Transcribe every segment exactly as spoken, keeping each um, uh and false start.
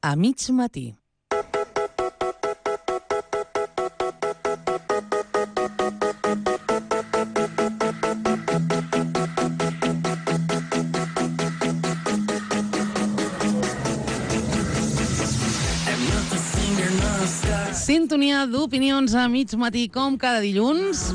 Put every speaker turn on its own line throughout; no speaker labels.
a mig matí. Sintonia d'opinions a mig matí, com cada dilluns.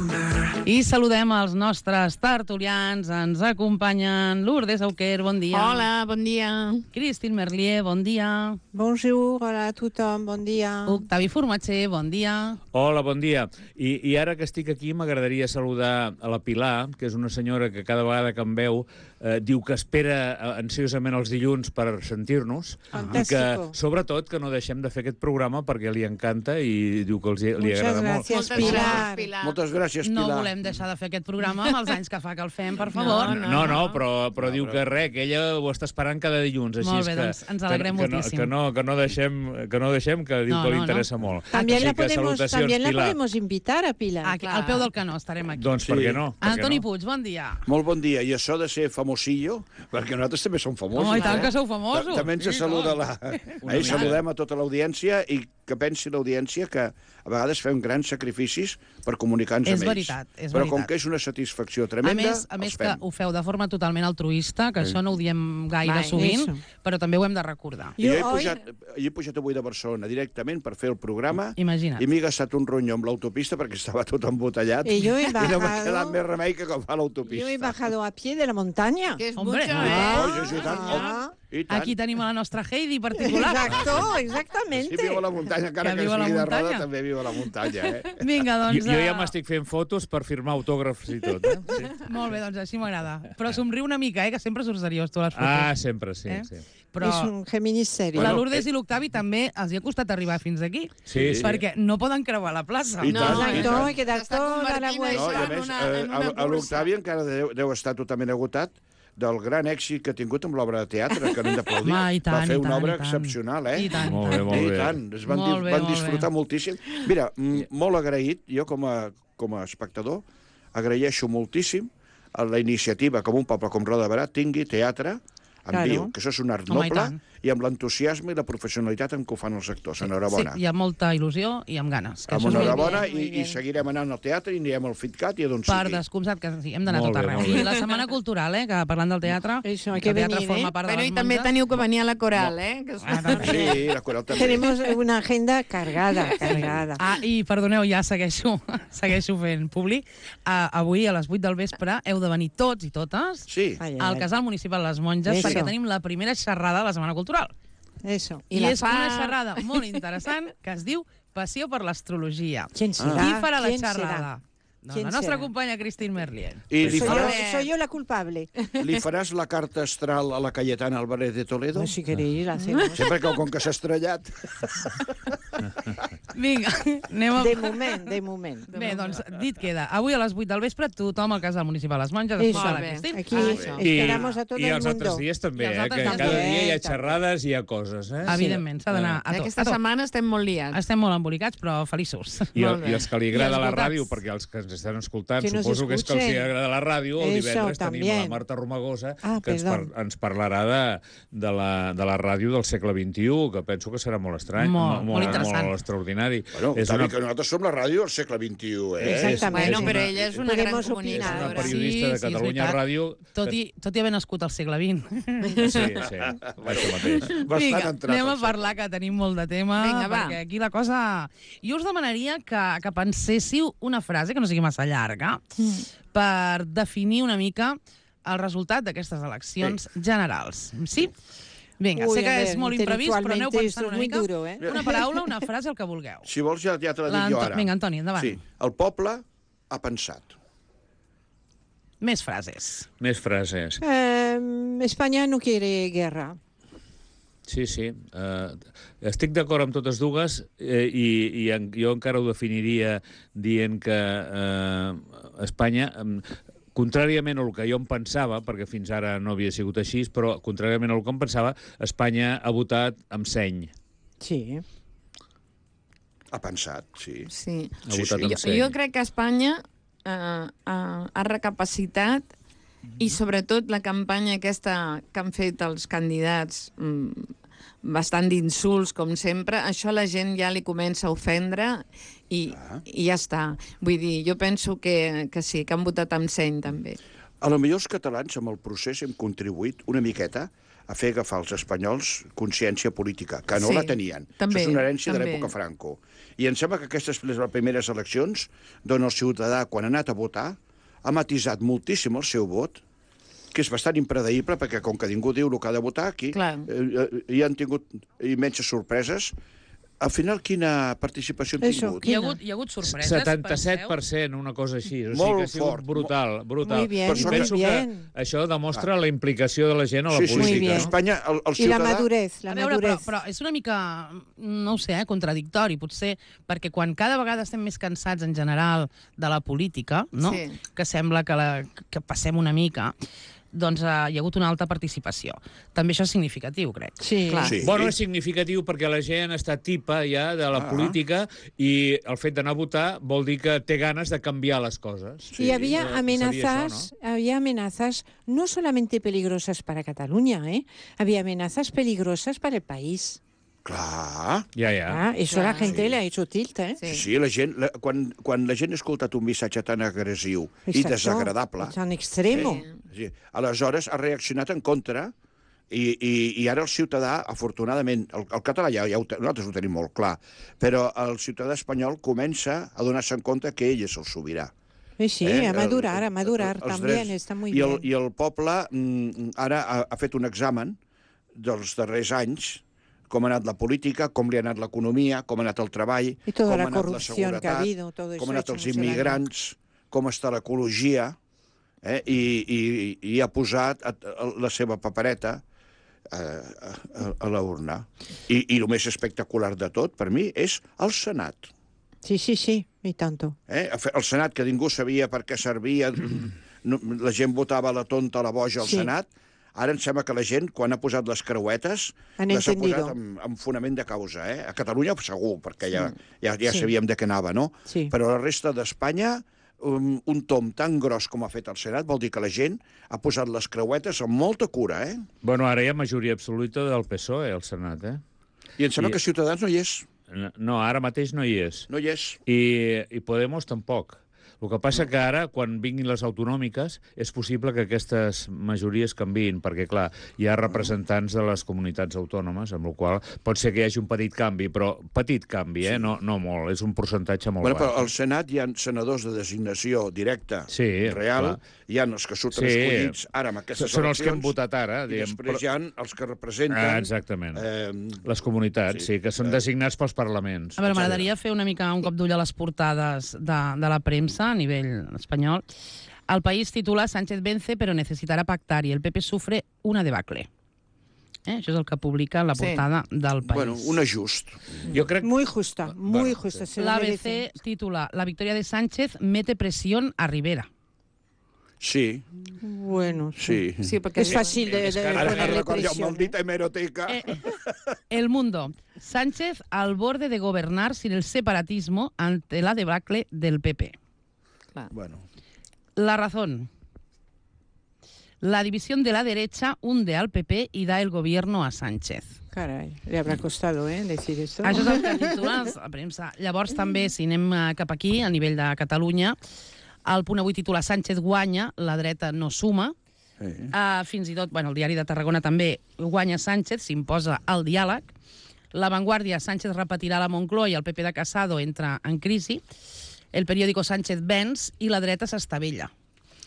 I saludem els nostres tertulians. Ens acompanyen Lourdes Auquer, bon dia.
Hola, bon dia.
Christine Merlier, bon dia.
Bonjour, hola a tothom, bon dia.
Octavi Formatger, bon dia.
Hola, bon dia. I, I ara que estic aquí m'agradaria saludar a la Pilar, que és una senyora que cada vegada que em veu eh, diu que espera ansiosament els dilluns per sentir-nos. I que, sobretot, que no deixem de fer aquest programa perquè li encanta i diu que els, li
Muchas
agrada
gracias,
molt.
Pilar.
Moltes Pilar.
Moltes gràcies, Pilar.
No volem deixar de fer aquest programa amb els anys que fa que el fem, per favor.
No, no, no però, però no, diu però... que res, que ella ho està esperant cada dilluns. Així
Molt bé,
és que,
doncs ens alegrem
que,
moltíssim.
Que no, que, no deixem, que no deixem, que diu
No,
que li
no,
interessa
no.
molt.
También
Així
la
que
podemos,
salutacions,
también la
Pilar.
podemos invitar a Pilar.
Aquí, al peu del canó estarem aquí.
Doncs
Sí.
per què no? Per què
Antoni
no?
Puig, bon dia.
Molt bon dia. I això de ser famosillo, perquè nosaltres també som famosos.
Oh, i tant
eh?
que sou famosos.
Ta- També ens
Sí,
saluda
no.
la... Ahir saludem a tota l'audiència i que pensi l'audiència que a vegades fem grans sacrificis per comunicar-nos
És
amb ells.
veritat, és
Però com
veritat.
que és una satisfacció
A
tremenda,
més, a més
els
que
fem.
ho feu de forma totalment altruista, que això no ho diem gaire
Mai,
sovint,
eso.
però també ho hem de recordar.
I jo he
Jo, oi?
pujat, jo he pujat avui de Barcelona directament per fer el programa
Imagina't.
i m'he gastat un ronyo amb l'autopista perquè estava tot embotellat
I jo he
i no m'ha
bajado-
quedat més remei que agafar l'autopista.
Yo he bajado a pie de la montaña.
Que és
Hombre.
mucho,
Oh,
eh?
sí, sí, i tant.
Ah.
I tant.
Aquí tenim a la nostra Heidi particular.
Exacto,
Sí,
exactamente.
viu a la muntanya, encara
Que
que,
viu a la
sigui de
muntanya.
roda, també viu a la muntanya, eh?
Vinga,
Jo,
doncs...
jo ja
eh,
m'estic fent fotos per firmar autògrafs i tot. Eh? Sí.
Molt bé, doncs així m'agrada. Però somriu una mica, eh, que sempre surts seriós tu a les fotos.
Ah, sempre, sí.
Eh?
sí.
Però
És un Géminis serio.
la
Bueno,
Lourdes i l'Octavi també els hi ha costat arribar fins aquí.
Sí, sí.
Perquè no poden creuar la plaça.
I
No,
tant, i
Exacto,
tant.
hay que dar
S'està
toda la
convertint
vuelta.
No, i a
en
més,
una-
eh,
en una
a- a
cursa.
l'Octavi encara deu, deu estar totalment agotat del gran èxit que ha tingut amb l'obra de teatre, que no hem d'aplaudir.
Home, i tant,
Va fer
i
una
tant,
obra
i tant.
excepcional, eh?
I tant,
Molt bé, molt
I
bé.
tant, es van,
Molt
di
bé,
van
molt
disfrutar
bé.
moltíssim. Mira, mm, molt agraït, jo com a, com a espectador, agraeixo moltíssim a la iniciativa que un poble com Roda de Berà tingui teatre en
Claro.
viu, que això és un art
Home, i
noble,
tant.
i amb l'entusiasme i la professionalitat amb què ho fan els actors. Enhorabona.
Sí, hi ha molta il·lusió i amb ganes. Que
Amb
això és molt
enhorabona
bien, muy
i, i
bien.
seguirem anant al teatre i anirem al FitCat i a d'on
Per
sigui.
descomptat que sí, hem d'anar
Molt
tot
bé,
arreu.
molt bé.
I la Setmana Cultural, eh, que parlant del teatre,
Eso, hay
que
que
el teatre
venir,
forma
eh?
part de
Bueno,
les
i també
monges.
teniu que venir a la coral, eh? Que és...
Ah, també.
Sí, la coral també.
Tenemos una agenda cargada, cargada.
Ah, i perdoneu, ja segueixo, segueixo fent públic. Uh, avui a les vuit del vespre heu de venir tots i totes
Sí.
Ai, ai,
al
ai.
Casal Municipal Les Monges
Eso.
perquè tenim la primera xerrada de la Setmana Cultural.
Eso.
I,
I la
és
fa-
una xerrada molt interessant que es diu Passió per l'astrologia.
¿Quién será?
Qui farà la
¿Quién
xerrada?
será?
Doncs
¿Quién
la nostra
será?
companya Christine Merlier.
I li
Soy yo,
faràs,
soy yo la culpable.
li faràs la carta astral a la Cayetana Álvarez de Toledo?
No, si queréis, la hacemos.
Sempre que com que s'ha estrellat.
Vinga, anem a...
De moment, de moment.
Bé, doncs, dit queda. Avui a les vuit del vespre, tothom al Casal Municipal Les Monges.
Eso.
Escolta la
Molt bé.
Christine.
Aquí
Ah, això.
esperamos a todo
I
el
els altres
mundo.
dies també,
I els
eh?
altres
Que
també.
cada dia hi ha
També.
xerrades i hi ha coses, eh?
Evidentment, s'ha d'anar a tot.
Aquesta
a tot.
setmana estem molt liats.
Estem molt embolicats, però feliços.
I,
Molt bé.
I els que li agrada
I
la
escoltats.
ràdio, perquè els que ens estan escoltant,
Que nos
suposo que és que els hi
escuchen.
agrada la ràdio, el
Eso,
divendres tenim la
también.
Marta Romagosa,
Ah,
que ens,
perdón.
par ens parlarà de, de, la, de la ràdio del segle vint-i-u, que penso que serà molt estrany,
Molt, molt interessant.
molt extraordinari.
Bueno,
és
Tavi,
una,
que nosaltres som la ràdio del segle vint-i-u, eh?
Exactament.
Bueno,
Sí.
però ella és una gran
Podemos
és una
comunicadora.
periodista de
Sí, sí, és
Catalunya
veritat.
Ràdio.
Tot i, tot i haver nascut al segle vint.
Sí, sí, això mateix.
Bastant
Vinga,
entrat
anem a
al
parlar, que tenim molt de tema,
Vinga, va.
perquè aquí la cosa... Jo us demanaria que, que penséssiu una frase, que no sigui massa llarga, per definir una mica el resultat d'aquestes eleccions generals. Sí? Vinga,
Uy,
sé que
a ver,
és molt imprevist, però aneu
intelectualmente
pensant
esto es
una
muy
mica.
duro, eh?
Una paraula, una frase, el que vulgueu.
Si vols ja, ja te la dic
L'Anto-
jo ara.
Vinga, Antoni, endavant.
Sí, el poble ha pensat.
Més frases.
Més frases.
Eh, España no quiere guerra.
Sí, sí. Uh, estic d'acord amb totes dues eh, i, i en, jo encara ho definiria dient que uh, Espanya... Um, contràriament al que jo em pensava, perquè fins ara no havia sigut així, però contràriament al que em pensava, Espanya ha votat amb seny.
Sí.
Ha pensat, sí.
Sí.
Ha
Sí,
votat
sí.
amb
Jo,
seny.
jo crec que Espanya eh, ha, ha recapacitat i sobretot la campanya aquesta que han fet els candidats mm, bastant d'insults, com sempre, això a la gent ja li comença a ofendre i,
Ah.
i ja està. Vull dir, jo penso que, que sí, que han votat amb seny, també.
A lo millor els catalans, amb el procés, hem contribuït una miqueta a fer agafar als espanyols consciència política, que no
Sí,
la tenien.
també,
Això és una herència de
també.
l'època Franco. I em sembla que aquestes les primeres eleccions, d'on el ciutadà, quan ha anat a votar, ha matisat moltíssim el seu vot, que és bastant impredeïble, perquè com que ningú diu el que ha de votar, aquí
Clar.
eh, eh, hi han tingut immenses sorpreses. Al final, quina participació han
Eso,
tingut?
Hi ha hagut, hi ha hagut sorpreses,
setanta-set per cent, una cosa així. O sigui
Molt
que ha sigut
fort.
brutal, brutal.
Muy bien,
I
muy
penso
bien.
que això demostra la implicació de la gent a la
Sí, sí, sí.
Muy
política.
bien.
No?
Espanya, el, el
I la
ciutadà...
madurez, la
A veure, però,
madurez.
però és una mica, no ho sé, eh, contradictori, potser, perquè quan cada vegada estem més cansats en general de la política, no?
Sí.
Que sembla que, la, que passem una mica, doncs eh, hi ha hagut una alta participació. També això és significatiu, crec.
Sí.
Clar.
Sí.
Bueno, és significatiu perquè la gent està tipa ja de la
Ah.
política i el fet d'anar a votar vol dir que té ganes de canviar les coses.
Y había
eh, sería
amenazas,
eso,
había amenazas no solamente peligrosas para Cataluña, ¿eh? Había amenazas peligrosas para el país.
Clar.
Ja, ja.
Ah, eso
Clar.
la gente
Sí.
le ha hecho tilt, ¿eh?
Sí.
Sí, la gent, la, quan, quan la gent ha escoltat un missatge tan agressiu i
Exacto.
desagradable,
Tan extremo.
Sí.
sí, aleshores ha reaccionat en contra i, i, i ara el ciutadà, afortunadament, el, el català ja, ja ho, te- nosaltres ho tenim molt clar, però el ciutadà espanyol comença a donar-se en compte que ell és el sobirà.
Sí, sí,
Eh,
a
el-
madurar, a
el-
madurar
els
también,
drets.
está muy
I el,
bien.
I el poble mm, ara ha, ha fet un examen dels darrers anys, com ha anat la política, com li ha anat l'economia, com ha anat el treball,
Y toda
com
la
ha anat la
corrupción que ha
seguretat,
habido, todo eso
com han
ha
anat
hecho
els
mucho daño.
immigrants, com està l'ecologia, eh? I, i, i ha posat a, a, la seva papereta a, a, a la urna. I, I el més espectacular de tot, per mi, és el Senat.
Sí, sí, sí, y tanto.
Eh? El Senat, que ningú sabia per què servia, no, la gent votava la tonta, la boja al
Sí.
Senat, ara em sembla que la gent, quan ha posat les creuetes,
Han
les ha
entendido.
posat amb, amb fonament de causa. Eh? A Catalunya segur, perquè ja, ja, ja
Sí.
sabíem de què anava, no?
Sí.
Però a la resta d'Espanya, un, un tom tan gros com ha fet el Senat vol dir que la gent ha posat les creuetes amb molta cura, eh?
Bueno, ara hi ha majoria absoluta del P S O E al Senat, eh?
I em sembla
I-
que Ciutadans no hi és.
No, ara mateix no hi és.
No hi és.
I, i Podemos tampoc. El que passa que ara, quan vinguin les autonòmiques, és possible que aquestes majories canviïn, perquè, clar, hi ha representants de les comunitats autònomes, amb la qual cosa pot ser que hi hagi un petit canvi, però petit canvi, eh? No, no molt, és un percentatge molt
Bueno, però
baix.
al Senat hi ha senadors de designació directa,
Sí,
real,
clar.
hi ha els que surten
Sí.
escollits ara amb aquestes
Són els que hem
eleccions,
votat ara,
i
diguem.
després hi ha els que representen...
Ah, exactament.
Eh,
Les comunitats,
sí.
sí, que són
Eh.
designats pels parlaments.
A veure, m'agradaria fer una mica un cop d'ull a les portades de, de la premsa a nivell espanyol. El País titula Sánchez vence pero necesitará pactar y el P P sufre una debacle. Eh? Això és el que publica la
Sí.
portada del País.
bueno, un ajust.
Jo crec...
Muy justa, muy
Bueno,
justa. Se lo
L'A B
merece.
C titula La victoria de Sánchez mete presión a Rivera.
Sí,
Bueno,
sí.
Sí, perquè
Es fácil de, de
És que ara-
Ara
ponerle
recordo el
presión.
maldita
¿eh?
hemeroteca.
Eh, El Mundo. Sánchez al borde de gobernar sin el separatismo ante la debacle del P P.
Clar.
Bueno,
La Razón. La división de la derecha hunde al P P y da el gobierno a Sánchez.
Caray, le habrá costado, ¿eh? Decir esto.
Això és el que titula la premsa. Llavors també, si anem eh, cap aquí, a nivell de Catalunya, el Punt Avui titula Sánchez guanya, la dreta no suma.
sí.
Uh, fins i tot, bueno, el diari de Tarragona també guanya Sánchez, s'imposa el diàleg. La Vanguardia, Sánchez repetirà la Moncloa i el P P de Casado entra en crisi. El periòdico Sánchez venç i la dreta s'estavella.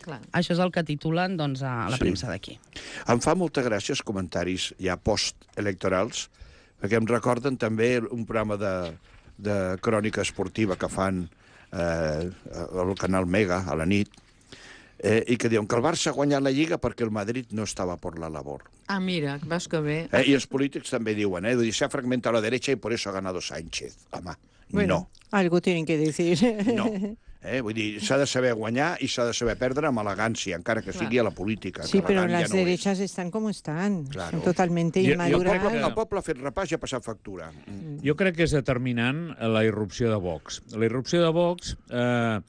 Clar.
Això és el que titulen doncs, a la
Sí.
premsa d'aquí.
Em fa molta gràcia els comentaris ja post-electorals, perquè em recorden també un programa de, de crònica esportiva que fan eh, al canal Mega a la nit, eh, i que diuen que el Barça ha guanyat la Lliga perquè el Madrid no estava por la labor.
Ah, mira, veus que bé.
Eh, I els polítics també diuen, eh, se ha fragmentado la derecha y por eso ha ganado Sánchez. Home,
Bueno, algo tienen que decir.
no, no. Eh, vull dir, s'ha de saber guanyar i s'ha de saber perdre amb elegància, encara que sigui a la política.
Sí,
que
pero
elegant
las
ja no és.
derechas están como están.
Claro.
Son totalmente
Y- y el
I el
inmaduras.
poble, el poble ha fet repàs i ha passat factura.
Jo crec que és determinant la irrupció de Vox. La irrupció de Vox eh,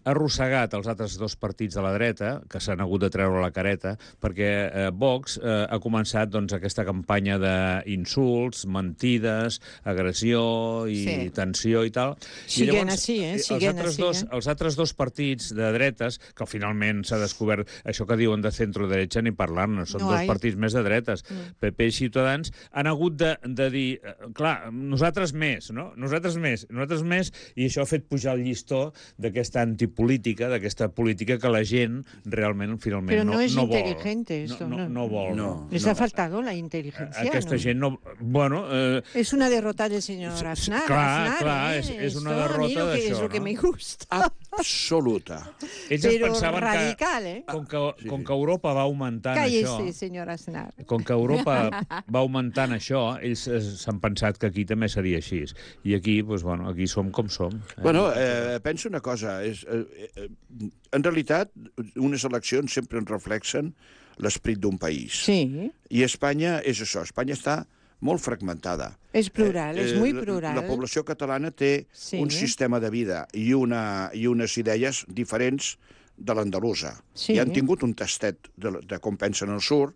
arrossegat els altres dos partits de la dreta, que s'han hagut de treure la careta, perquè eh, Vox eh, ha començat doncs, aquesta campanya d'insults, mentides, agressió i
Sí.
tensió i tal.
Siguen
I
així, eh?
els
Siguen
altres,
així,
dos,
eh?
els altres dos partits de dretes, que finalment s'ha descobert això que diuen de centro-derecha ni parlar-ne, són
No
dos
hay.
partits més de dretes, mm. P P i Ciutadans, han hagut de, de dir, eh, clar, nosaltres més, no? Nosaltres més, nosaltres més, i això ha fet pujar el llistó d'aquesta antipolítica, d'aquesta política que la gent realment, finalment,
Pero
no,
no es
no vol.
inteligente esto,
no, no,
no.
no vol.
No.
Les ha faltado la inteligencia,
Aquesta
¿no?
gent no... Bueno... Eh,
Es una derrota del señor
Sí, sí,
Aznar.
clar,
Aznar,
clar,
¿eh?
és- és una
Esto a mí
derrota
lo que-
d'això,
Es lo que
no?
me gusta.
Absoluta.
ells es
Pero
pensaven
radical,
que,
¿eh?
com que, com que Europa va augmentant
Cállese,
això...
señor Aznar.
Com que Europa va augmentant això, ells eh, s'han pensat que aquí també seria així. I aquí, doncs, bueno, aquí som com som. Eh?
Bueno, eh, penso una cosa. És, eh, eh, en realitat, unes eleccions sempre ens reflexen l'esperit d'un país.
Sí,
I Espanya és això. Espanya està molt fragmentada.
es plural,
Eh,
es
eh,
muy
la-
plural.
La població catalana té
Sí.
un sistema de vida i, una, i unes idees diferents de l'andalusa.
Sí.
I han tingut un tastet de, de com pensen al sud.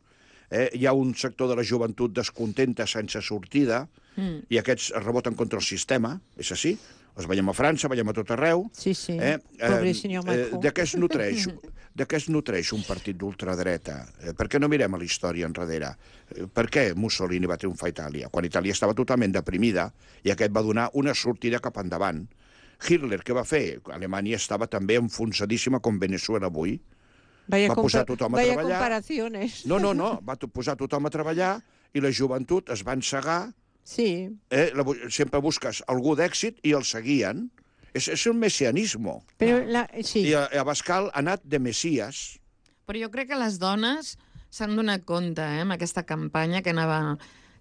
Eh? Hi ha un sector de la joventut descontenta sense sortida mm. i aquests es reboten contra el sistema, és així. Els veiem a França, veiem a tot arreu.
Sí, sí.
Eh?
Pobre
Eh,
senyor
eh,
Macron.
de què es nutreix? De què es nutreix un partit d'ultradreta? Eh, per què no mirem a la història enrere? Eh, per què Mussolini va triomfar a Itàlia? Quan Itàlia estava totalment deprimida i aquest va donar una sortida cap endavant. Hitler, què va fer? Alemanya estava també enfonsadíssima com Venezuela avui.
Vaya,
va posar
compa-
tothom a
vaya
treballar.
comparaciones.
No, no, no, va to- posar tothom a treballar i la joventut es va encegar.
Sí,
Eh? La, bu- sempre busques algú d'èxit i el seguien. És, és un messianisme.
pero la, sí.
I a, a Abascal ha anat de messies.
Però jo crec que les dones s'han donat compte, eh, amb aquesta campanya que anava...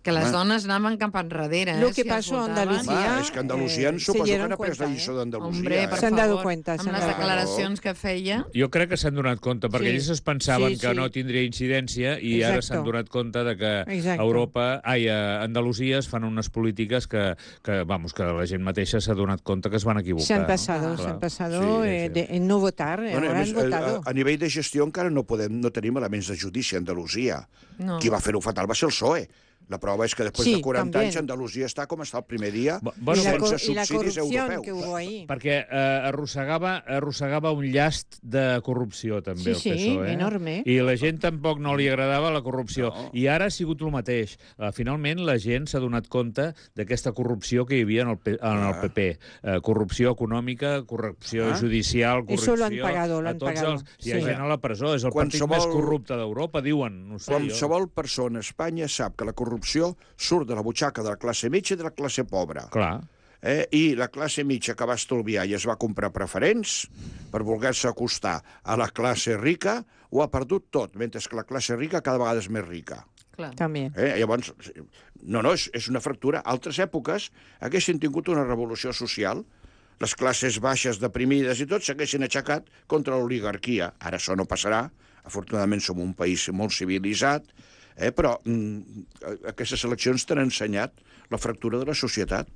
que les
Home.
dones anaven cap enrere.
Lo
eh,
que
si
pasó a
es votaven.
Andalucía,
Home, és que Andalusia
eh,
eh,
se
suposo que
dieron
n'ha pres la
cuenta,
lliçó
eh?
d'Andalusia.
Hombre,
eh?
per
S'han dado
favor,
cuenta,
amb
s'han
les
dado
cuenta.
declaracions que feia.
Jo crec que s'han donat compte, perquè
Sí.
ells es pensaven
Sí,
que
sí.
no tindria incidència i ara
Exacto.
s'han donat compte de que
Exacto.
a Europa, ai, a Andalusia es fan unes polítiques que, que, vamos, que la gent mateixa s'ha donat compte que es van equivocar.
Se han
no?
pasado,
Clar.
se han pasado
Sí, sí,
eh,
sí.
de- en no votar, eh,
Bueno, a,
ahora
més,
han
a,
votado.
a, a nivell de gestió encara no, podem, no tenim elements de judici a Andalusia.
No.
Qui va fer-ho fatal va ser el P S O E. La prova és que després
Sí,
de quaranta
també.
anys Andalusia està com està el primer dia,
Bu- bueno,
y, la,
sense
cor- y la
subsidis
corrupción
europeus.
que hubo ahí.
Perquè eh, arrossegava, arrossegava un llast de corrupció, també,
Sí,
el
sí,
P S O E.
enorme.
I la gent tampoc no li agradava la corrupció.
No.
I ara ha sigut el mateix. Uh, finalment, la gent s'ha donat compte d'aquesta corrupció que hi havia en el, P en el P P. Uh, corrupció econòmica, corrupció
Ah.
judicial, corrupció...
Eso lo han pagado, lo
a
han
tots
pagado.
Els... Hi ha
Sí.
gent a la presó, és el partit
Qualsevol-
més corrupte d'Europa, diuen. No sé, jo.
Qualsevol persona a Espanya sap que la corrupció surt de la butxaca de la classe mitja i de la classe pobra.
Clar.
Eh? I la classe mitja que va estalviar i es va comprar preferents per voler-se acostar a la classe rica, ho ha perdut tot, mentre que la classe rica cada vegada és més rica.
Clar.
También.
Eh? Llavors, no, no, és, és una fractura. Altres èpoques haguessin tingut una revolució social, les classes baixes, deprimides i tot, s'haguessin aixecat contra l'oligarquia. Ara això no passarà. Afortunadament som un país molt civilitzat, eh? però mm, aquestes eleccions t'han ensenyat la fractura de la societat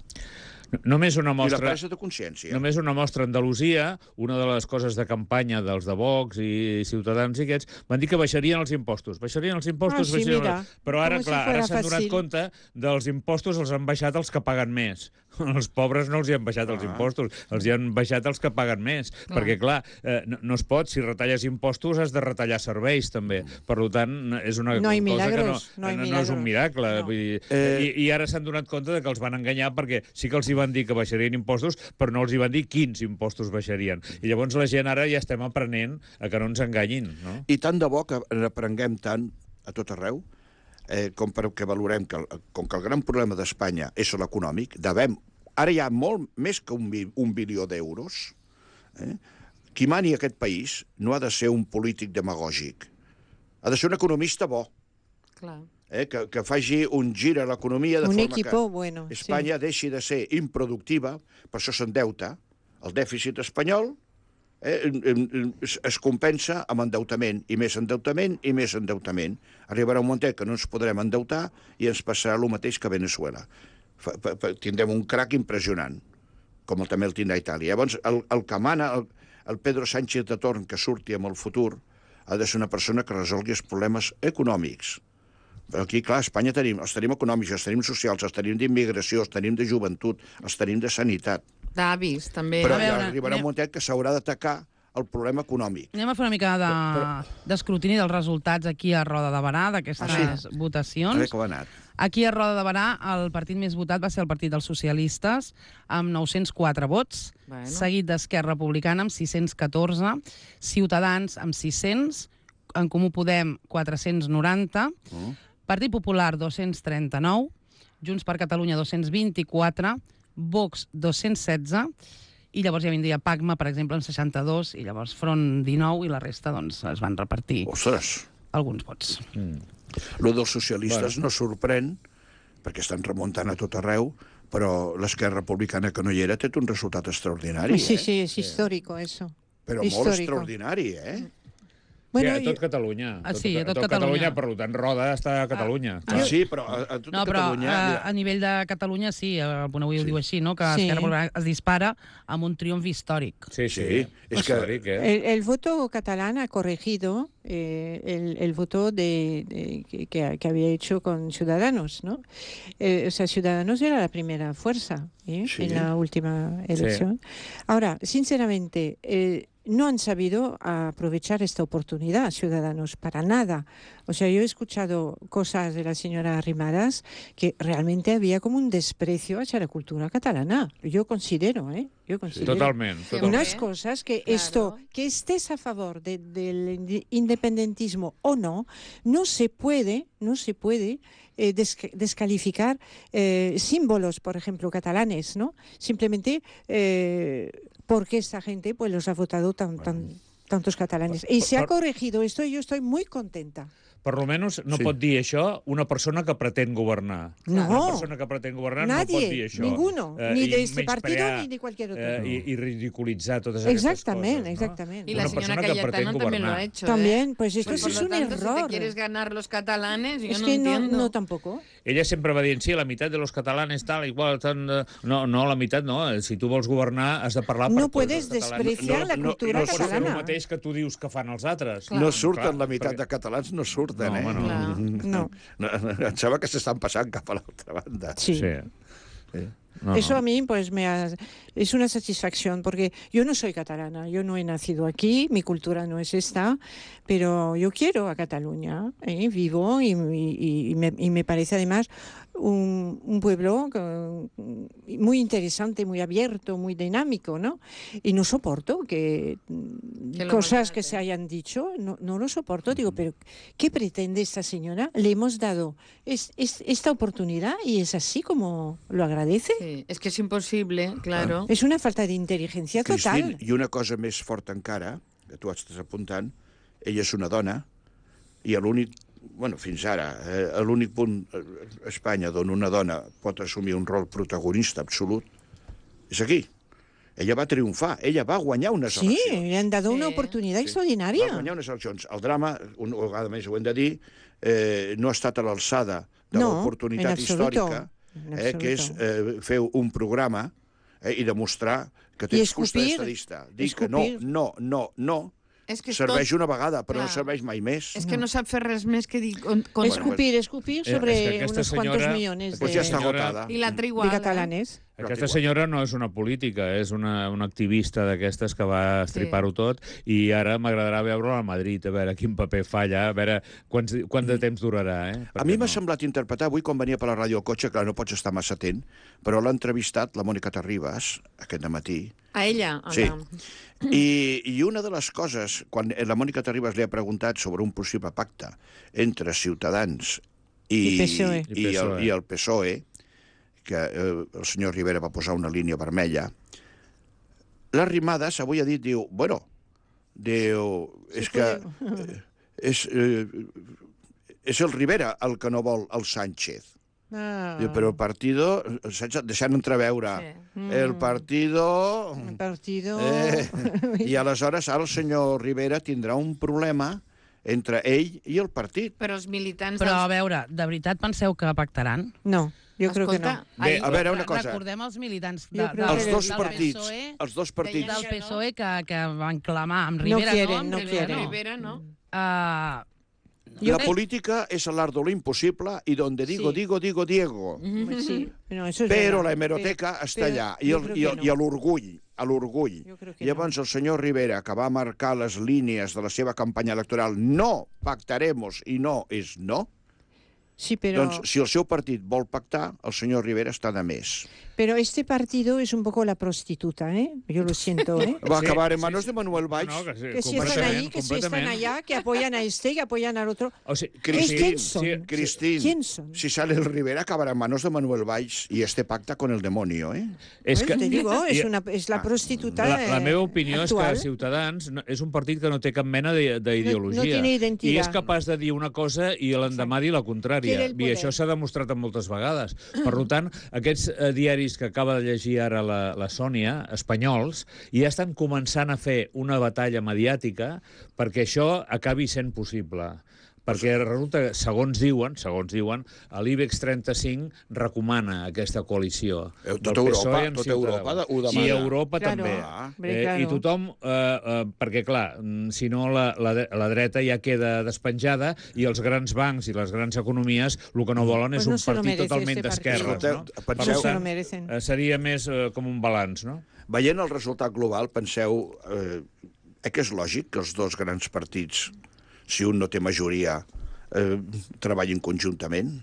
Només una
i la
mostra...
presa de consciència.
Només una mostra a Andalusia, una de les coses de campanya dels de Vox i Ciutadans i aquests, van dir que baixarien els impostos. Baixarien els impostos,
Ah, sí,
baixarien...
mira,
Però ara,
com si
clar, ara
fuera
s'han donat
fàcil.
compte dels impostos els han baixat els que paguen més. Els pobres no els hi han baixat els
Ah.
impostos, els hi han baixat els que paguen més.
Clar.
Perquè, clar, eh, no, no es pot, si retalles impostos has de retallar serveis, també. Per tant, és una
No hay
cosa
milagros,
que
no
no,
hay
no, no és un
milagros.
miracle.
No.
Vull dir,
Eh,
i, I ara s'han donat compte de que els van enganyar perquè sí que els hi van dir que baixarien impostos, però no els hi van dir quins impostos baixarien. I llavors la gent ara ja estem aprenent a que no ens enganyin, no?
I tant de bo que n'aprenguem tant a tot arreu, eh, com perquè valorem que, el- com que el gran problema d'Espanya és l'econòmic, devem, ara hi ha molt més que un, bi- un bilió d'euros, eh? Qui mani aquest país no ha de ser un polític demagògic, ha de ser un economista bo,
Clar.
eh? que, que faci un gir a l'economia de
Un
forma
equipo
que
bueno. sí.
Espanya deixi de ser improductiva, per això s'endeuta, el dèficit espanyol eh, em- em- es, es compensa amb endeutament, i més endeutament, i més endeutament. Arribarà un moment que no ens podrem endeutar i ens passarà el mateix que a Venezuela. Fa, fa, fa, tindrem un crac impressionant, com el, també el tindrà Itàlia. Llavors, el, el que mana... El, el Pedro Sánchez de torn que surti amb el futur ha de ser una persona que resolgui els problemes econòmics. Però aquí, clar, a Espanya tenim, els tenim econòmics, els tenim socials, els tenim d'immigració, els tenim de joventut, els tenim de sanitat.
D'avis, també.
Però
A veure,
ja arribarà
anem-
un moment que s'haurà d'atacar el problema econòmic.
Anem a fer una mica d'escrutini de, dels resultats aquí a Roda de Barà, d'aquestes
Ah, sí? A
votacions.
veure com ha anat.
Aquí a Roda de Barà el partit més votat va ser el Partit dels Socialistes, amb nou-cents quatre vots,
Bueno.
seguit d'Esquerra Republicana amb sis-cents catorze, Ciutadans amb sis-cents, En Comú Podem quatre-cents noranta,
Mm.
Partit Popular dos-cents trenta-nou, Junts per Catalunya dos-cents vint-i-quatre, Vox dos-cents setze, i llavors ja vindria Pacma, per exemple, amb seixanta-dos, i llavors Front dinou, i la resta doncs, es van repartir
Ostres,
alguns vots.
lo dels socialistes no sorprèn, perquè estan remuntant a tot arreu, però l'Esquerra Republicana que no hi era té un resultat extraordinari,
Sí,
eh?
sí, es histórico eso.
Però molt
Histórico.
extraordinari, eh?
Bueno,
sí, a tot
yo-
Catalunya.
Ah, sí, a tot
Catalunya.
Catalunya.
Per tant, Roda està a Catalunya.
Ah, sí, però a, a tota
No, però
Catalunya...
a,
mira,
a nivell de Catalunya sí, el Punt Avui ho diu així, no? que
Sí.
Esquerra Republicana es dispara amb un triomf històric.
Sí, sí.
Sí, és que-
Històric, eh?
El, el voto catalán ha corregido eh, el, el voto de, de- que, que- que había hecho con Ciudadanos, ¿no? Eh, o sea, Ciudadanos era la primera fuerza ¿eh?
Sí.
en la última elección. Ahora, sinceramente, eh, no han sabido aprovechar esta oportunidad, Ciudadanos, para nada. O sea, yo he escuchado cosas de la señora Arrimadas que realmente había como un desprecio hacia la cultura catalana. Yo considero, ¿eh? Yo considero.
Totalment.
Sí,
totalment.
Unas cosas que
Claro.
esto, que estés a favor de- del indi- independentismo o no, no se puede, no se puede eh, desca- descalificar eh, símbolos, por ejemplo, catalanes, ¿no? Simplemente eh, porque esta gente pues los ha votado tan, tan- tantos catalanes. Y se ha
Por-
corregido esto y yo estoy muy contenta.
Per lo menos no
Sí.
pot dir això una persona que pretén governar.
No.
Una persona que pretén governar no pot dir
Nadie,
això.
ninguno,
Eh,
ni
i
de este
menysprear,
partido ni de cualquier otro.
Eh, i, I ridiculitzar totes aquestes
Exactamente,
coses. No?
exactamente.
Y la
Una
señora
persona que pretén
Cayetano también lo
governar.
ha hecho.
También,
¿eh?
pues esto
Pues
es
por lo
un
tanto, si te
error.
quieres ganar los catalanes, yo
Es
no
que no,
entiendo.
no tampoco.
Ella sempre va dient, sí, la meitat de los catalanes tal, igual, tan... eh, No, no, la meitat no. Si tu vols governar, has de parlar per
No
tots
puedes
els catalans.
despreciar
No,
la
no,
cultura
no
Pots fer el
catalana.
mateix que tu dius que fan els altres.
no surten
clar,
la meitat
perquè-
de catalans, no surten,
No,
eh?
home, no.
Clar.
No.
No, em sembla que s'estan passant cap a l'altra banda.
Sí.
Sí. No,
Eso
no.
a mí pues me ha- es una satisfacción porque yo no soy catalana, yo no he nacido aquí, mi cultura no es esta, pero yo quiero a Cataluña, ¿eh? Vivo y, y- y me, y me parece además un, un pueblo que- muy interesante, muy abierto, muy dinámico, ¿no? Y no soporto que,
Que lo
cosas que
maltrate.
se hayan dicho, no, no lo soporto. Digo, pero ¿qué pretende esta señora? Le hemos dado es- es- esta oportunidad y es así como lo agradece.
Sí, es que es imposible, claro.
És una falta d'intel·ligència
Cristín,
total.
i una cosa més forta encara, que tu estàs apuntant, ella és una dona, i a l'únic, bueno, fins ara, eh, a l'únic punt a Espanya d'on una dona pot assumir un rol protagonista absolut, és aquí. Ella va triomfar, ella va guanyar unes
Sí,
eleccions.
le han dado una
Sí.
oportunidad
Va
extraordinaria.
guanyar unes eleccions. El drama, una vegada més ho hem de dir, eh, no ha estat a l'alçada de
No,
l'oportunitat
en absoluto,
històrica,
en
eh, que és
absoluto.
eh, fer un programa eh, i demostrar que
I
tens fusta
escopir,
d'estadista. Dir que no,
escopir.
no, no, no,
Es que és
serveix
tot...
una vegada, però no
Clar.
serveix mai més.
És que no sap fer res més que dir... Con, con...
Escupir, escupir
Eh,
sobre
és que aquesta
unos cuantos
senyora-
millones
Pues
de,
ja està
senyora-
agotada.
I l'altra
de
igual. eh?
catalanes.
Aquesta senyora no és una política, és una, una activista d'aquestes que va estripar-ho tot, i ara m'agradarà veure-la a Madrid, a veure quin paper fa allà, a veure quants, quant de temps durarà. Eh?
A mi m'ha
no.
semblat interpretar, avui quan venia per la ràdio al cotxe, clar, no pots estar massa atent, però l'ha entrevistat la Mònica Terribas aquest matí.
A ella. A
Sí.
la...
I, I una de les coses, quan la Mònica Terribas li ha preguntat sobre un possible pacte entre Ciutadans i,
I P S O E.
i, el, i el P S O E, que eh, el senyor Rivera va posar una línia vermella, l'Arrimadas avui ha dit, diu, bueno, diu, és que eh, és, eh, és el Rivera el que no vol el Sánchez.
Ah,
Diu, però el partido, saps? Deixant entreveure,
Sí.
el partido...
el partido...
Eh, I aleshores ara el senyor Rivera tindrà un problema entre ell i el partit.
Però els militants...
Però, a
dels...
veure, de veritat penseu que pactaran?
No. Yo creo que
Escolta,
no.
Bé,
ahir-
a veure, una cosa.
Recordem els militants de,
Jo crec
del,
Els
que
dos
del
partits,
PSOE,
els dos partits,
del P S O E que, que van clamar amb
No
Rivera,
quieren,
no? Amb
no
Rivera,
quieren.
Rivera, no?
Uh,
la política es el arte de lo imposible y donde digo,
Sí.
digo, digo, Diego.
Sí, no, eso es
Però
verdad.
la hemeroteca
Pero-
està
pero
allà, i
yo
el-
creo
i
que
el-
no.
i l'orgull, a l'orgull.
Jo crec que
Llavors el senyor Rivera, que va marcar les línies de la seva campanya electoral, no pactaremos i no és no,
Sí, pero...
doncs si el seu partit vol pactar, el senyor Rivera està de més.
Pero este partido es un poco la prostituta, ¿eh? Yo lo siento, ¿eh?
Va
Sí,
acabar en
sí,
manos
sí.
de Manuel Valls.
No, no, que sí,
Que si están
completament,
ahí, que si están
completament.
allá, que apoyan a este, que apoyan al otro.
O sigui,
Cristín,
¿Quién son?
sí,
Cristín,
¿Quién son?
si sale el Rivera, acabará en manos de Manuel Valls y este pacta con el demonio, ¿eh?
és
Pues
que...
te digo, es,
i-
una, es la prostituta
La, la
eh,
meva opinió
actual.
és que Ciutadans no, és un partit que no té cap mena de- d'ideologia.
No- no tiene identidad.
I és capaç de dir una cosa i l'endemà dir la contrària.
Quiere el
I
poder.
això s'ha demostrat moltes vegades. Per tant, aquests eh, diaris que acaba de llegir ara la, la Sònia, espanyols, ja estan començant a fer una batalla mediàtica perquè això acabi sent possible. Perquè resulta que, segons diuen, segons diuen, l'IBEX trenta-cinc recomana aquesta coalició.
Eh,
del
tota
P S O E
Europa-
amb
tota
Ciutadans.
Europa ho demana.
I Europa
Claro,
també.
hombre,
Eh,
claro.
I tothom, eh, eh, perquè clar, mm, si no la, la, la dreta ja queda despenjada i els grans bancs i les grans economies el que no volen
Pues
és
no
un
se lo
partit
merece
totalment
este
d'esquerres.
partido.
No?
Escolteu,
Per
penseu-
No se lo
tant,
merecen.
eh, seria més eh, com un balanç, no?
Veient el resultat global, penseu eh, eh, que és lògic que els dos grans partits, si un no té majoria, eh, treballin conjuntament?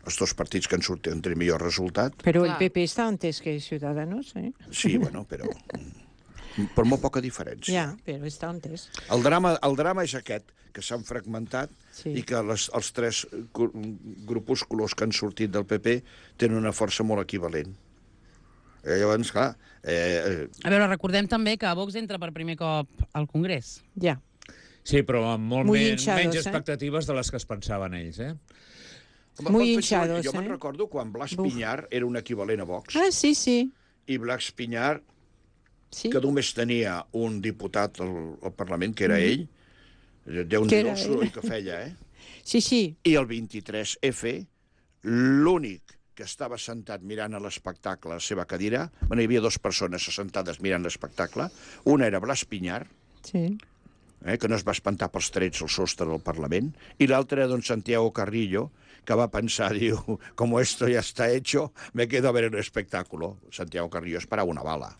Els dos partits que han sortit entre millor resultat?
Pero el
Claro.
P P está antes que Ciudadanos, ¿eh?
Sí, bueno, però... Per molt poca diferència.
Ya, pero está antes.
El drama, el drama és aquest, que s'han fragmentat
Sí.
i que les, els tres gru- grupúsculos que han sortit del P P tenen una força molt equivalent. Eh, llavors, clar... Eh,
a veure, recordem també que Vox entra per primer cop al Congrés.
Ya.
Sí, però amb molt
Muy
men
hinchados,
menys
eh?
expectatives de les que es pensaven ells, eh?
home,
Muy
penseu,
hinchados,
Jo me'n
eh?
recordo quan Blas
Buf.
Piñar era un equivalent a Vox,
Ah, sí, sí.
i Blas Piñar,
Sí.
que només tenia un diputat al, al Parlament, que era ell, déu
Que
nhi
era
el soroll
ell.
que feia, eh?
Sí, sí.
I el vint-i-tres F, l'únic que estava sentat mirant a l'espectacle a la seva cadira, bueno, hi havia dues persones assentades mirant l'espectacle, una era Blas Piñar,
Sí.
eh, que no es va espantar pels trets al sostre del Parlament, i l'altre era don Santiago Carrillo, que va pensar, diu, como esto ya está hecho, me quedo a ver el espectáculo. Santiago Carrillo esperava una bala.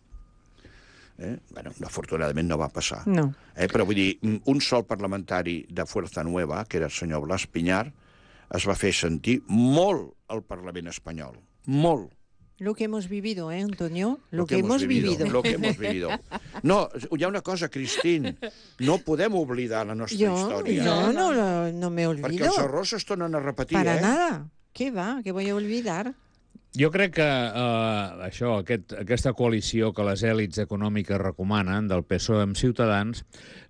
Eh? Bueno, afortunadament no va passar.
No.
Eh, però vull dir, un sol parlamentari de Fuerza Nueva, que era el senyor Blas Piñar, es va fer sentir molt al Parlament espanyol. Molt.
Lo que hemos vivido, ¿eh, Antonio? Lo, que, hemos vivido.
Lo que hemos vivido. No, hi ha una cosa, Cristín, no podem oblidar la nostra
Yo,
història.
yo no, lo- no me
Perquè
olvido.
els errors es tornen a repetir,
Para
eh?
nada. ¿Qué va? ¿Qué voy a olvidar?
Jo crec que eh, això, aquest, aquesta coalició que les èlits econòmiques recomanen del P S O E amb Ciutadans,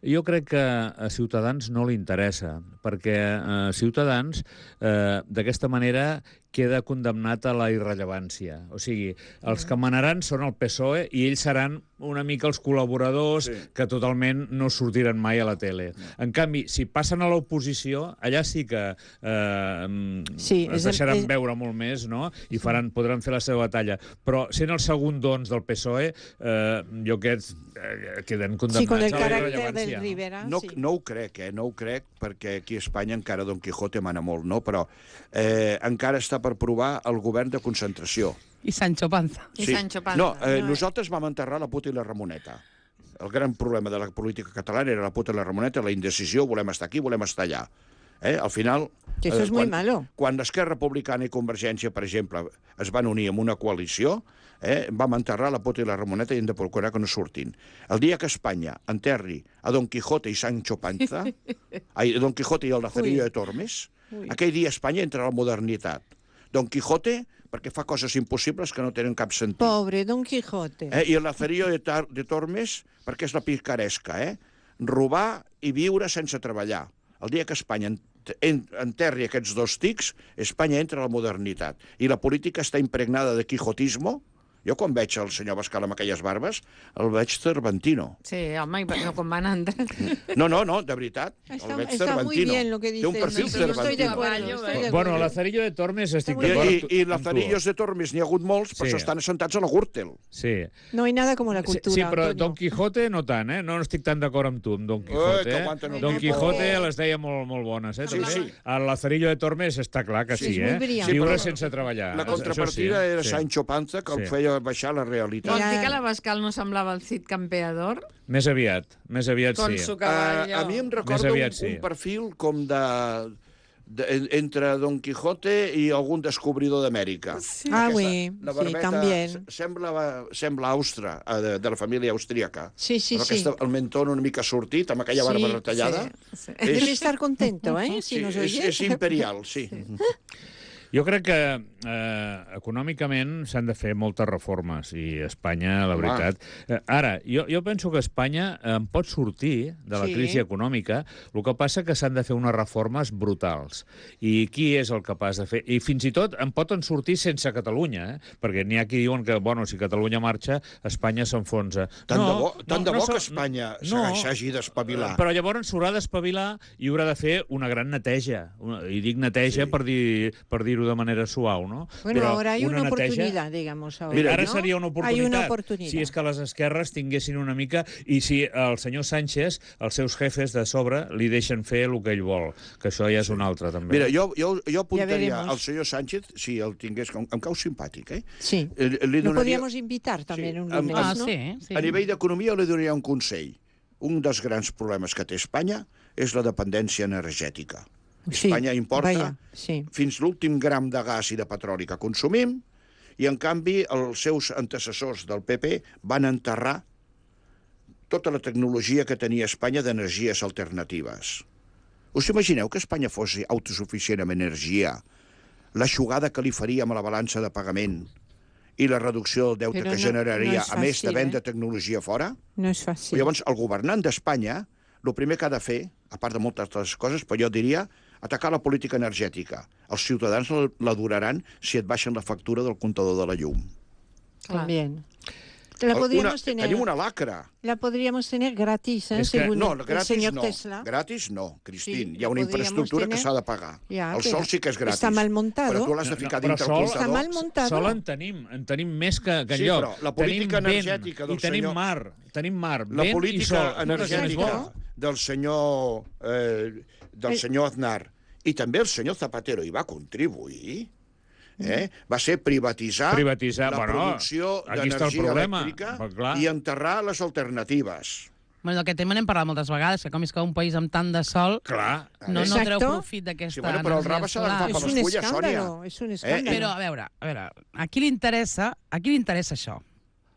jo crec que a Ciutadans no li interessa, perquè eh, Ciutadans eh, d'aquesta manera queda condemnat a la irrellevància. O sigui, els que manaran són el P S O E i ells seran una mica els col·laboradors
Sí.
que totalment no sortiran mai a la tele. En canvi, si passen a l'oposició, allà sí que eh,
Sí,
es
és-
deixaran
és-
veure molt més, no? I faran, podran fer la seva batalla. Però sent els segundons del P S O E, eh, jo aquests eh, queden condemnats
Sí, con el
a la
carácter
irrellevància.
del Rivera.
No,
sí.
no ho crec, eh? No ho crec, perquè aquí a Espanya encara Don Quijote mana molt, no? Però eh, encara està per provar el govern de concentració.
I Sancho Panza.
I Sancho Panza.
No, eh,
No,
nosaltres vam enterrar la puta i la Ramoneta. El gran problema de la política catalana era la puta i la Ramoneta, la indecisió, volem estar aquí, volem estar allà. Eh? Al final...
Que eso es muy
quan,
malo.
Quan Esquerra Republicana i Convergència, per exemple, es van unir en una coalició, eh, vam enterrar la puta i la Ramoneta i hem de procurar que no surtin. El dia que Espanya enterri a Don Quijote i Sancho Panza, ai, Don Quijote i el Lazarillo
Ui.
de Tormes,
Ui.
aquell dia Espanya entra a la modernitat. Don Quijote, perquè fa coses impossibles que no tenen cap sentit.
Pobre Don Quijote.
Eh? I el Lazarillo de, Tar de Tormes, perquè és la picaresca, eh? Robar i viure sense treballar. El dia que Espanya ent en enterri aquests dos tics, Espanya entra a la modernitat. I la política està impregnada de quijotismo, Jo quan veig el senyor Bascal amb aquelles barbes, el veig Cervantino.
Sí, home, no com van entrar.
No, no, no, de veritat.
Está,
el veig
está muy
Cervantino.
bien lo que
Té un
dices.
perfil
Sí, yo estoy de
Cervantino.
acuerdo. estoy de
Bueno,
acuerdo.
Lazarillo de Tormes estic
Està
I,
d'acord
i,
amb
i
tu.
Lazarillos de Tormes n'hi ha hagut molts, però
Sí.
estan assentats a la Gürtel.
Sí.
No hay nada como la
Sí,
cultura,
sí, però
Antonio.
Don Quijote no tant, eh? No estic tan d'acord amb tu, amb Don Quijote.
que
Eh?
aguanten el
Don
tipo.
Quijote les deia molt, molt bones, eh?
Sí,
també.
sí.
El Lazarillo de Tormes està clar que
Sí,
sí,
és molt
eh?
brillant.
Viure
Sí, però
sense treballar.
La
Això sí,
contrapartida
eh?
era
Sí.
Sancho Panza, que el
Sí.
feia baixar la realitat.
Vols
Era-
dir que la Bascal no semblava el Cid Campeador?
Més aviat, més aviat
Con
sí.
su
Uh,
caballo.
a mi em
Més
recorda
aviat
un,
sí.
un perfil com de, de, en- entre Don Quijote i algun descobridor d'Amèrica.
Sí.
Ah,
Aquesta-
oui,
la
sí,
barbeta
también.
se- Sembla, sembla austra, eh, de, de la família austríaca.
Sí, sí,
Amb
sí.
aquesta, el mentó una mica sortit, amb aquella barba
Sí,
retallada.
Sí.
És,
Debe estar contento, ¿eh? Si
sí,
nos
és,
oye.
és imperial, sí.
Jo crec que eh, econòmicament s'han de fer moltes reformes i Espanya, la
Home.
veritat... Eh, ara, jo, jo penso que Espanya eh, en pot sortir de la
Sí.
crisi econòmica, el que passa que s'han de fer unes reformes brutals. I qui és el capaç de fer? I fins i tot en poden sortir sense Catalunya, eh? Perquè n'hi ha qui diuen que, bueno, si Catalunya marxa, Espanya s'enfonsa.
Tant de bo, tant de bo
s'ha-
que Espanya
no,
s'hagi d'espavilar.
Però llavors s'haurà d'espavilar i haurà de fer una gran neteja. Una, I dic neteja
Sí.
per dir per dir-ho de manera suau, no?
Bueno,
Però
ahora hay una,
neteja-
oportunidad, digamos. Ahora,
Mira,
Ara
¿no?
seria una
Hay
oportunitat.
una oportunidad.
Si és que les esquerres tinguessin una mica... I si el senyor Sánchez, els seus jefes de sobre, li deixen fer el que ell vol, que això ja és un altre, també.
Mira, jo, jo, jo apuntaria
veremos.
al senyor Sánchez, si el tingués, em, em cau simpàtic, eh?
Sí.
Eh, Li
Lo
donaria,
podríamos invitar también
Sí,
un
amb-
lunes,
Ah,
¿no?
sí, sí.
a nivell d'economia li donaria un consell. Un dels grans problemes que té Espanya és la dependència energètica.
Sí,
Espanya importa
vaya, sí.
fins l'últim gram de gas i de petroli que consumim, i en canvi els seus antecessors del P P van enterrar tota la tecnologia que tenia Espanya d'energies alternatives. Us imagineu que Espanya fos autosuficient en energia, l'aixugada que li faríem a la balança de pagament i la reducció del deute
Però
que
no-
generaria,
no és
a més de
fàcil,
vendre
eh?
tecnologia fora?
No es fácil.
Llavors, el governant d'Espanya, el primer que ha de fer, a part de moltes altres coses, però jo diria, atacar la política energètica. Els ciutadans la, la duraran si et baixen la factura del comptador de la llum.
También. La
Una,
podríamos tener,
tenim una lacra.
la podríamos tener gratis, ¿eh?
Es que-
según
No,
el
gratis
señor
no.
Tesla.
Gratis no, Cristín.
Sí,
Hi ha una
lo podríamos
infraestructura que
tener.
s'ha de pagar.
Ja,
El
però
sol sí que és gratis.
està mal montado.
Però tu l'has de ficar
No, no,
dintre
però
el
sol-
comptador.
Està mal montado.
Sol en tenim, en tenim més que, que
Sí,
enlloc.
però la política
tenim vent,
energètica del
i tenim
senyor-
mar, tenim mar,
La
vent i
política
sol.
energètica del senyor, eh, del
Eh.
senyor Aznar i també el senyor Zapatero hi va contribuir, eh? va ser privatitzar,
Privatitzar,
la
bueno,
producció
aquí està el
d'energia
problema,
elèctrica
però clar.
i enterrar les alternatives.
Bueno, d'aquest tema n'hem parlat moltes vegades, que com és que un país amb tant de sol
Clar.
no, no
Exacto.
treu profit d'aquesta
Sí, bueno, però el
energia
rave s'ha d'agafar
solar.
per
Es
les
un
fulles,
escándalo,
Sònia.
es un
Eh,
escándalo.
Però, a veure, a veure, a qui li interessa, a qui li interessa això?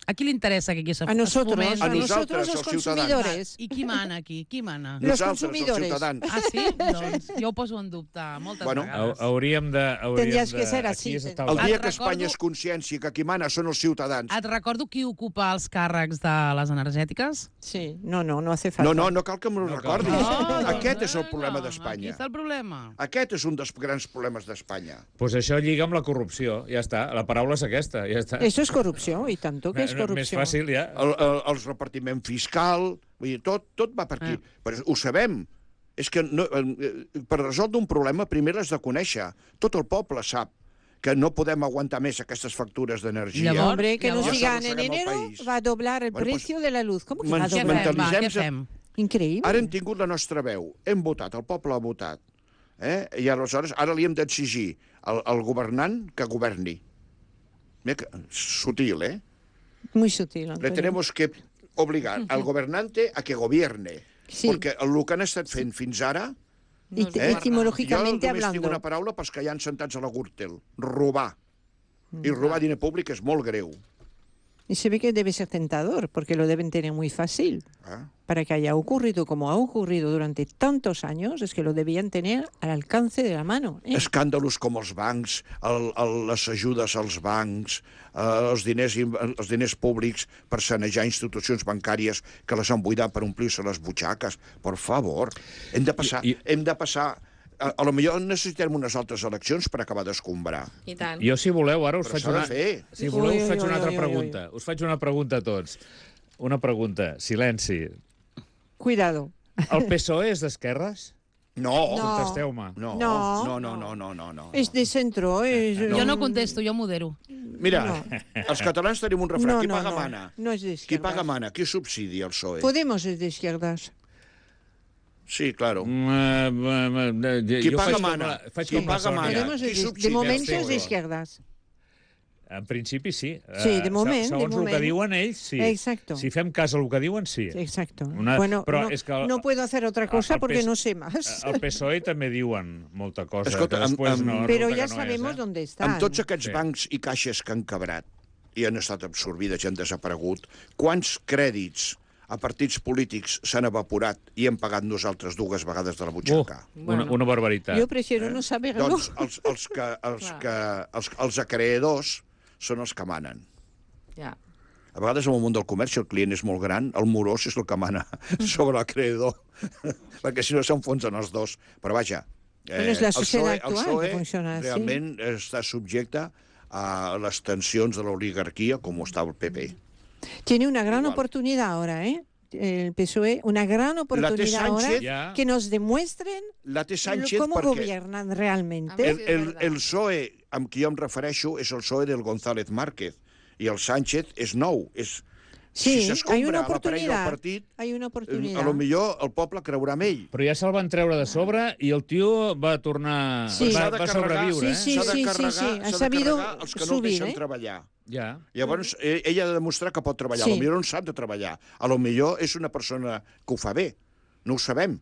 A qui li interessa que aquí se
A nosotros,
fomenti?
a
A
nosotros
nosaltres,
los
els ciutadans.
consumidores.
I qui mana aquí? Qui mana?
Los
Nosaltres, els
consumidores.
ciutadans.
Ah, sí? Doncs jo ho poso en dubte moltes
Bueno,
vegades.
Ha- Hauríem de... Hauríem
Tendries
de,
que ser
aquí
así,
és
tendries.
tal
El
qual.
dia
Et
que Espanya
recordo-
es consciència que qui mana són els ciutadans.
Et recordo qui ocupa els càrrecs de les energètiques?
Sí, no, no, no hace falta.
No, no, no cal que m'ho
No cal.
recordis.
No,
Aquest és el
no,
problema
Aquí
d'Espanya.
està el problema.
Aquest és un dels grans problemes d'Espanya.
Pues això lliga amb la corrupció, ja està. La paraula és aquesta, ja està.
Eso es corrupción, y tanto que es
Més
corrupción.
fàcil, ja.
El, el, el repartiment fiscal, vull dir, tot, tot va per aquí.
Ah.
Però ho sabem. És que no, eh, per resoldre un problema primer l'has de conèixer. Tot el poble sap que no podem aguantar més aquestes factures d'energia.
Llavors-
Hombre, que nos
Llavors-
digan en
arrosseguem el
enero
país.
va a doblar el
Bueno, pues,
precio de la luz. ¿Cómo que va a
men-
Què
doblar?
fem, va? Què
mentalitzem-se-
fem?
Increïble.
Ara hem tingut la nostra veu, hem votat, el poble ha votat. Eh? I aleshores ara li hem d'exigir al, al governant que governi. Mira que, sutil, eh?
Muy sutil,
Le
Antonio.
tenemos que obligar al gobernante a que gobierne.
Sí.
Perquè el que han estat fent fins ara...
Y-
No es
y-
gobernar.
etimológicamente
jo només tinc
hablando.
una paraula pels que hi ha sentats a la Gürtel. Robar. I
Mm.
robar diner públic és molt greu.
Y se ve que debe ser tentador, porque lo deben tener muy fácil.
Eh?
Para que haya ocurrido como ha ocurrido durante tantos años, es que lo debían tener al alcance de la mano. ¿eh?
Escàndalos com els bancs, el, el, les ajudes als bancs, eh, els, diners, in- els diners públics per sanejar institucions bancàries que les han buidat per omplir-se les butxaques. Per favor, hem de passar,
I- i-
hem de passar a, a lo millor necessitem unes altres eleccions per acabar d'escombrar.
I tant.
Jo, si voleu, ara us
Però
faig
s'ha de
una...
fer.
Si voleu,
Ui,
us faig
ui,
una
ui,
altra
ui, ui.
pregunta. Us faig una pregunta a tots. Una pregunta. Silenci.
Cuidado.
El P S O E és d'esquerres?
No.
No.
Contesteu-me.
No,
No.
no, no, no, no, no, no.
És de centro. És...
Jo no contesto, jo modero.
Mira,
No.
els catalans tenim un refrany.
No,
Qui
no,
paga
no.
mana?
No és
Qui
d'izquierdas.
paga mana? Qui subsidia el P S O E?
Podemos es de izquierdas.
Sí, claro.
Mm, eh, eh, eh,
Qui
jo
paga
faig com
mana?
la- faig
Qui
com la
paga
Sònia.
mana?
Podemos
qui
es de,
subsidia
de momento
el
es
P S O E?
de izquierdas.
En principi, sí.
Sí,
Eh,
de moment, de
Segons el que
moment.
diuen ells, sí.
Exacto.
Si fem cas al que diuen, sí.
Exacto.
Una-
Bueno,
però
no,
és que el-
no puedo hacer otra cosa
el
porque
P S
no sé más.
El P S O E també diuen molta cosa,
Escolta,
que després
amb-
no...
amb-
Pero
resulta
ya
que no
sabemos
és, eh?
dónde están.
Amb tots aquests
Sí.
bancs i caixes que han quebrat i han estat absorbides i han desaparegut, quants crèdits a partits polítics s'han evaporat i hem pagat nosaltres dues vegades de la
Uh,
butxaca?
una, una barbaritat.
Yo prefiero no saberlo.
Doncs els, els, que, els, que, els, els acreedors són els que manen.
Ja.
A vegades en el món del comerç, si el client és molt gran, el morós és el que mana sobre l'acreedor, perquè si no s'enfonsen els dos. Però vaja,
Bueno, és la
el
societat
PSOE, el
actual
PSOE
que funciona així.
realment està subjecte a les tensions de l'oligarquia com ho està el P P.
Tiene una gran
Igual.
oportunidad ahora, ¿eh? El P S O E, una gran oportunidad ahora
Sánchez
Ya.
que nos demuestren
La té Sánchez
cómo
perquè
gobiernan realmente.
el,
Sí, és
el,
verdad.
el P S O E amb qui jo em refereixo és el P S O E del González Márquez i el Sánchez és nou. És,
Sí,
si
hay
s'escombra
una
l'aparell del
oportunidad.
partit,
Hay una
eh,
oportunidad.
a lo millor el poble creurà en ell.
Però ja se'l van treure de sobre i el tio va tornar...
Sí.
Va,
S'ha de
va
carregar-
sobreviure,
Sí, sí,
eh?
S'ha de
sí,
carregar,
sí. Ha
s'ha de
sabido
carregar els que no el
subir,
deixen
eh?
treballar.
Ja.
Llavors, eh, ell ha de demostrar que pot treballar.
Sí.
A lo millor no sap de treballar. A lo millor és una persona que ho fa bé. No ho sabem.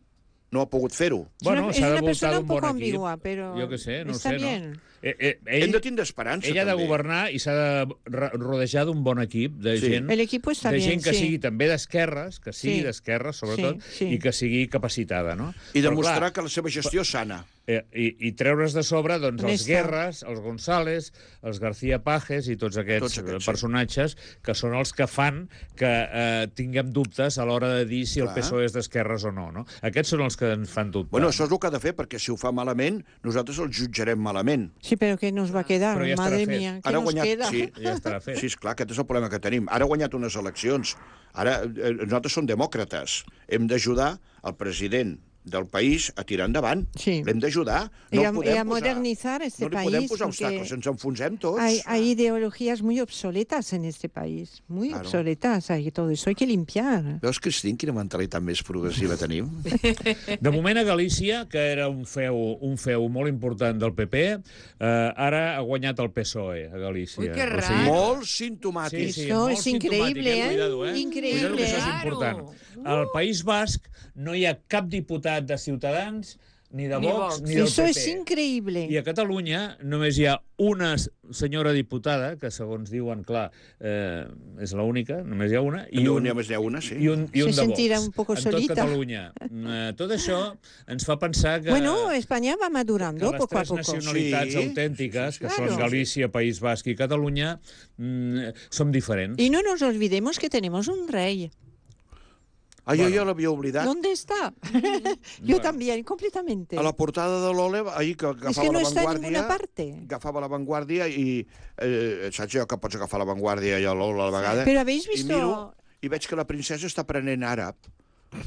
No ha pogut fer-ho.
Es una- es
s'ha de
una
voltar
persona
d'un
un
bon
poco
equip.
ambigua, pero
Jo què sé, no
está
sé,
bien.
no? Eh, eh, ell,
Hem de tindre esperança,
ell ha de
també.
governar i s'ha de ro- rodejar d'un bon equip, de
Sí.
gent,
El equipo está
de
bien,
gent que
sí.
sigui també d'esquerres, que sigui
Sí.
d'esquerres, sobretot,
Sí, sí.
i que sigui capacitada, no?
I
Però,
demostrar
clar,
que la seva gestió és sana.
Eh, i, i treure's de sobre doncs, els
Honesta.
Guerres, els González, els García Pajes i tots aquests,
Tots aquests,
eh,
sí.
personatges que són els que fan que eh, tinguem dubtes a l'hora de dir si el
Clar.
P S O E és d'esquerres o no, no. Aquests són els que ens fan dubtar.
Bueno, això és el que ha de fer, perquè si ho fa malament, nosaltres el jutjarem malament.
Sí, pero ¿qué nos va a quedar?
Pero ya estará
Madre
fet.
mía, ¿qué
Ara ha
nos
guanyat...
queda?
Sí,
Ja estarà fet.
sí, esclar, aquest és el problema que tenim. Ara ha guanyat unes eleccions. Ara, eh, nosaltres som demòcrates. Hem d'ajudar el president del país a tirar endavant.
Sí.
L'hem d'ajudar.
Y
No
a-
el podem
y a
posar-
modernizar este
no li podem
país,
posar
porque
obstacles, ens enfonsem tots.
Hay, hay ideologías muy obsoletas en este país, muy
Claro.
obsoletas, hay todo eso hay que limpiar.
Veus, Cristín, quina mentalitat més progressiva tenim?
De moment a Galícia, que era un feu, un feu molt important del P P, eh, ara ha guanyat el P S O E a Galícia.
Ui, que
O
rar.
Molt
Sí,
simptomàtic.
sí,
Eso
molt
es increíble,
simptomàtic,
¿eh?
Cuidado, eh?
Increíble.
Cuidado, que això és
Claro.
important. Al País Basc no hi ha cap diputat de Ciutadans, ni de
Ni
Vox,
Vox.
ni del
Eso
P P.
es increíble.
I a Catalunya només hi ha una senyora diputada, que segons diuen, clar, eh, és l'única, només hi ha una, i
No,
un,
només n'hi ha una, sí.
i un, i un
Se
de Vox.
sentirà un poco
en tot
solita.
Catalunya. Eh, tot això ens fa pensar que...
Bueno, España va
que
madurando
les
poco a
tres
poco.
nacionalitats
Sí,
autèntiques,
sí,
que
sí,
són
claro.
Galícia, País Basc i Catalunya, mm, som diferents.
Y no nos olvidemos que tenemos un rey.
Ah, jo
Bueno.
ja l'havia oblidat.
¿Dónde está? Yo también, completamente.
A la portada de l'Ole, ahir que agafava
Es que no
la
está en
Vanguardia...
ninguna parte.
Agafava la Vanguardia i... Eh, saps allò que pots agafar la Vanguardia i l'Ole a la vegada?
Pero habéis
I
visto...
miro i veig que la princesa està aprenent àrab.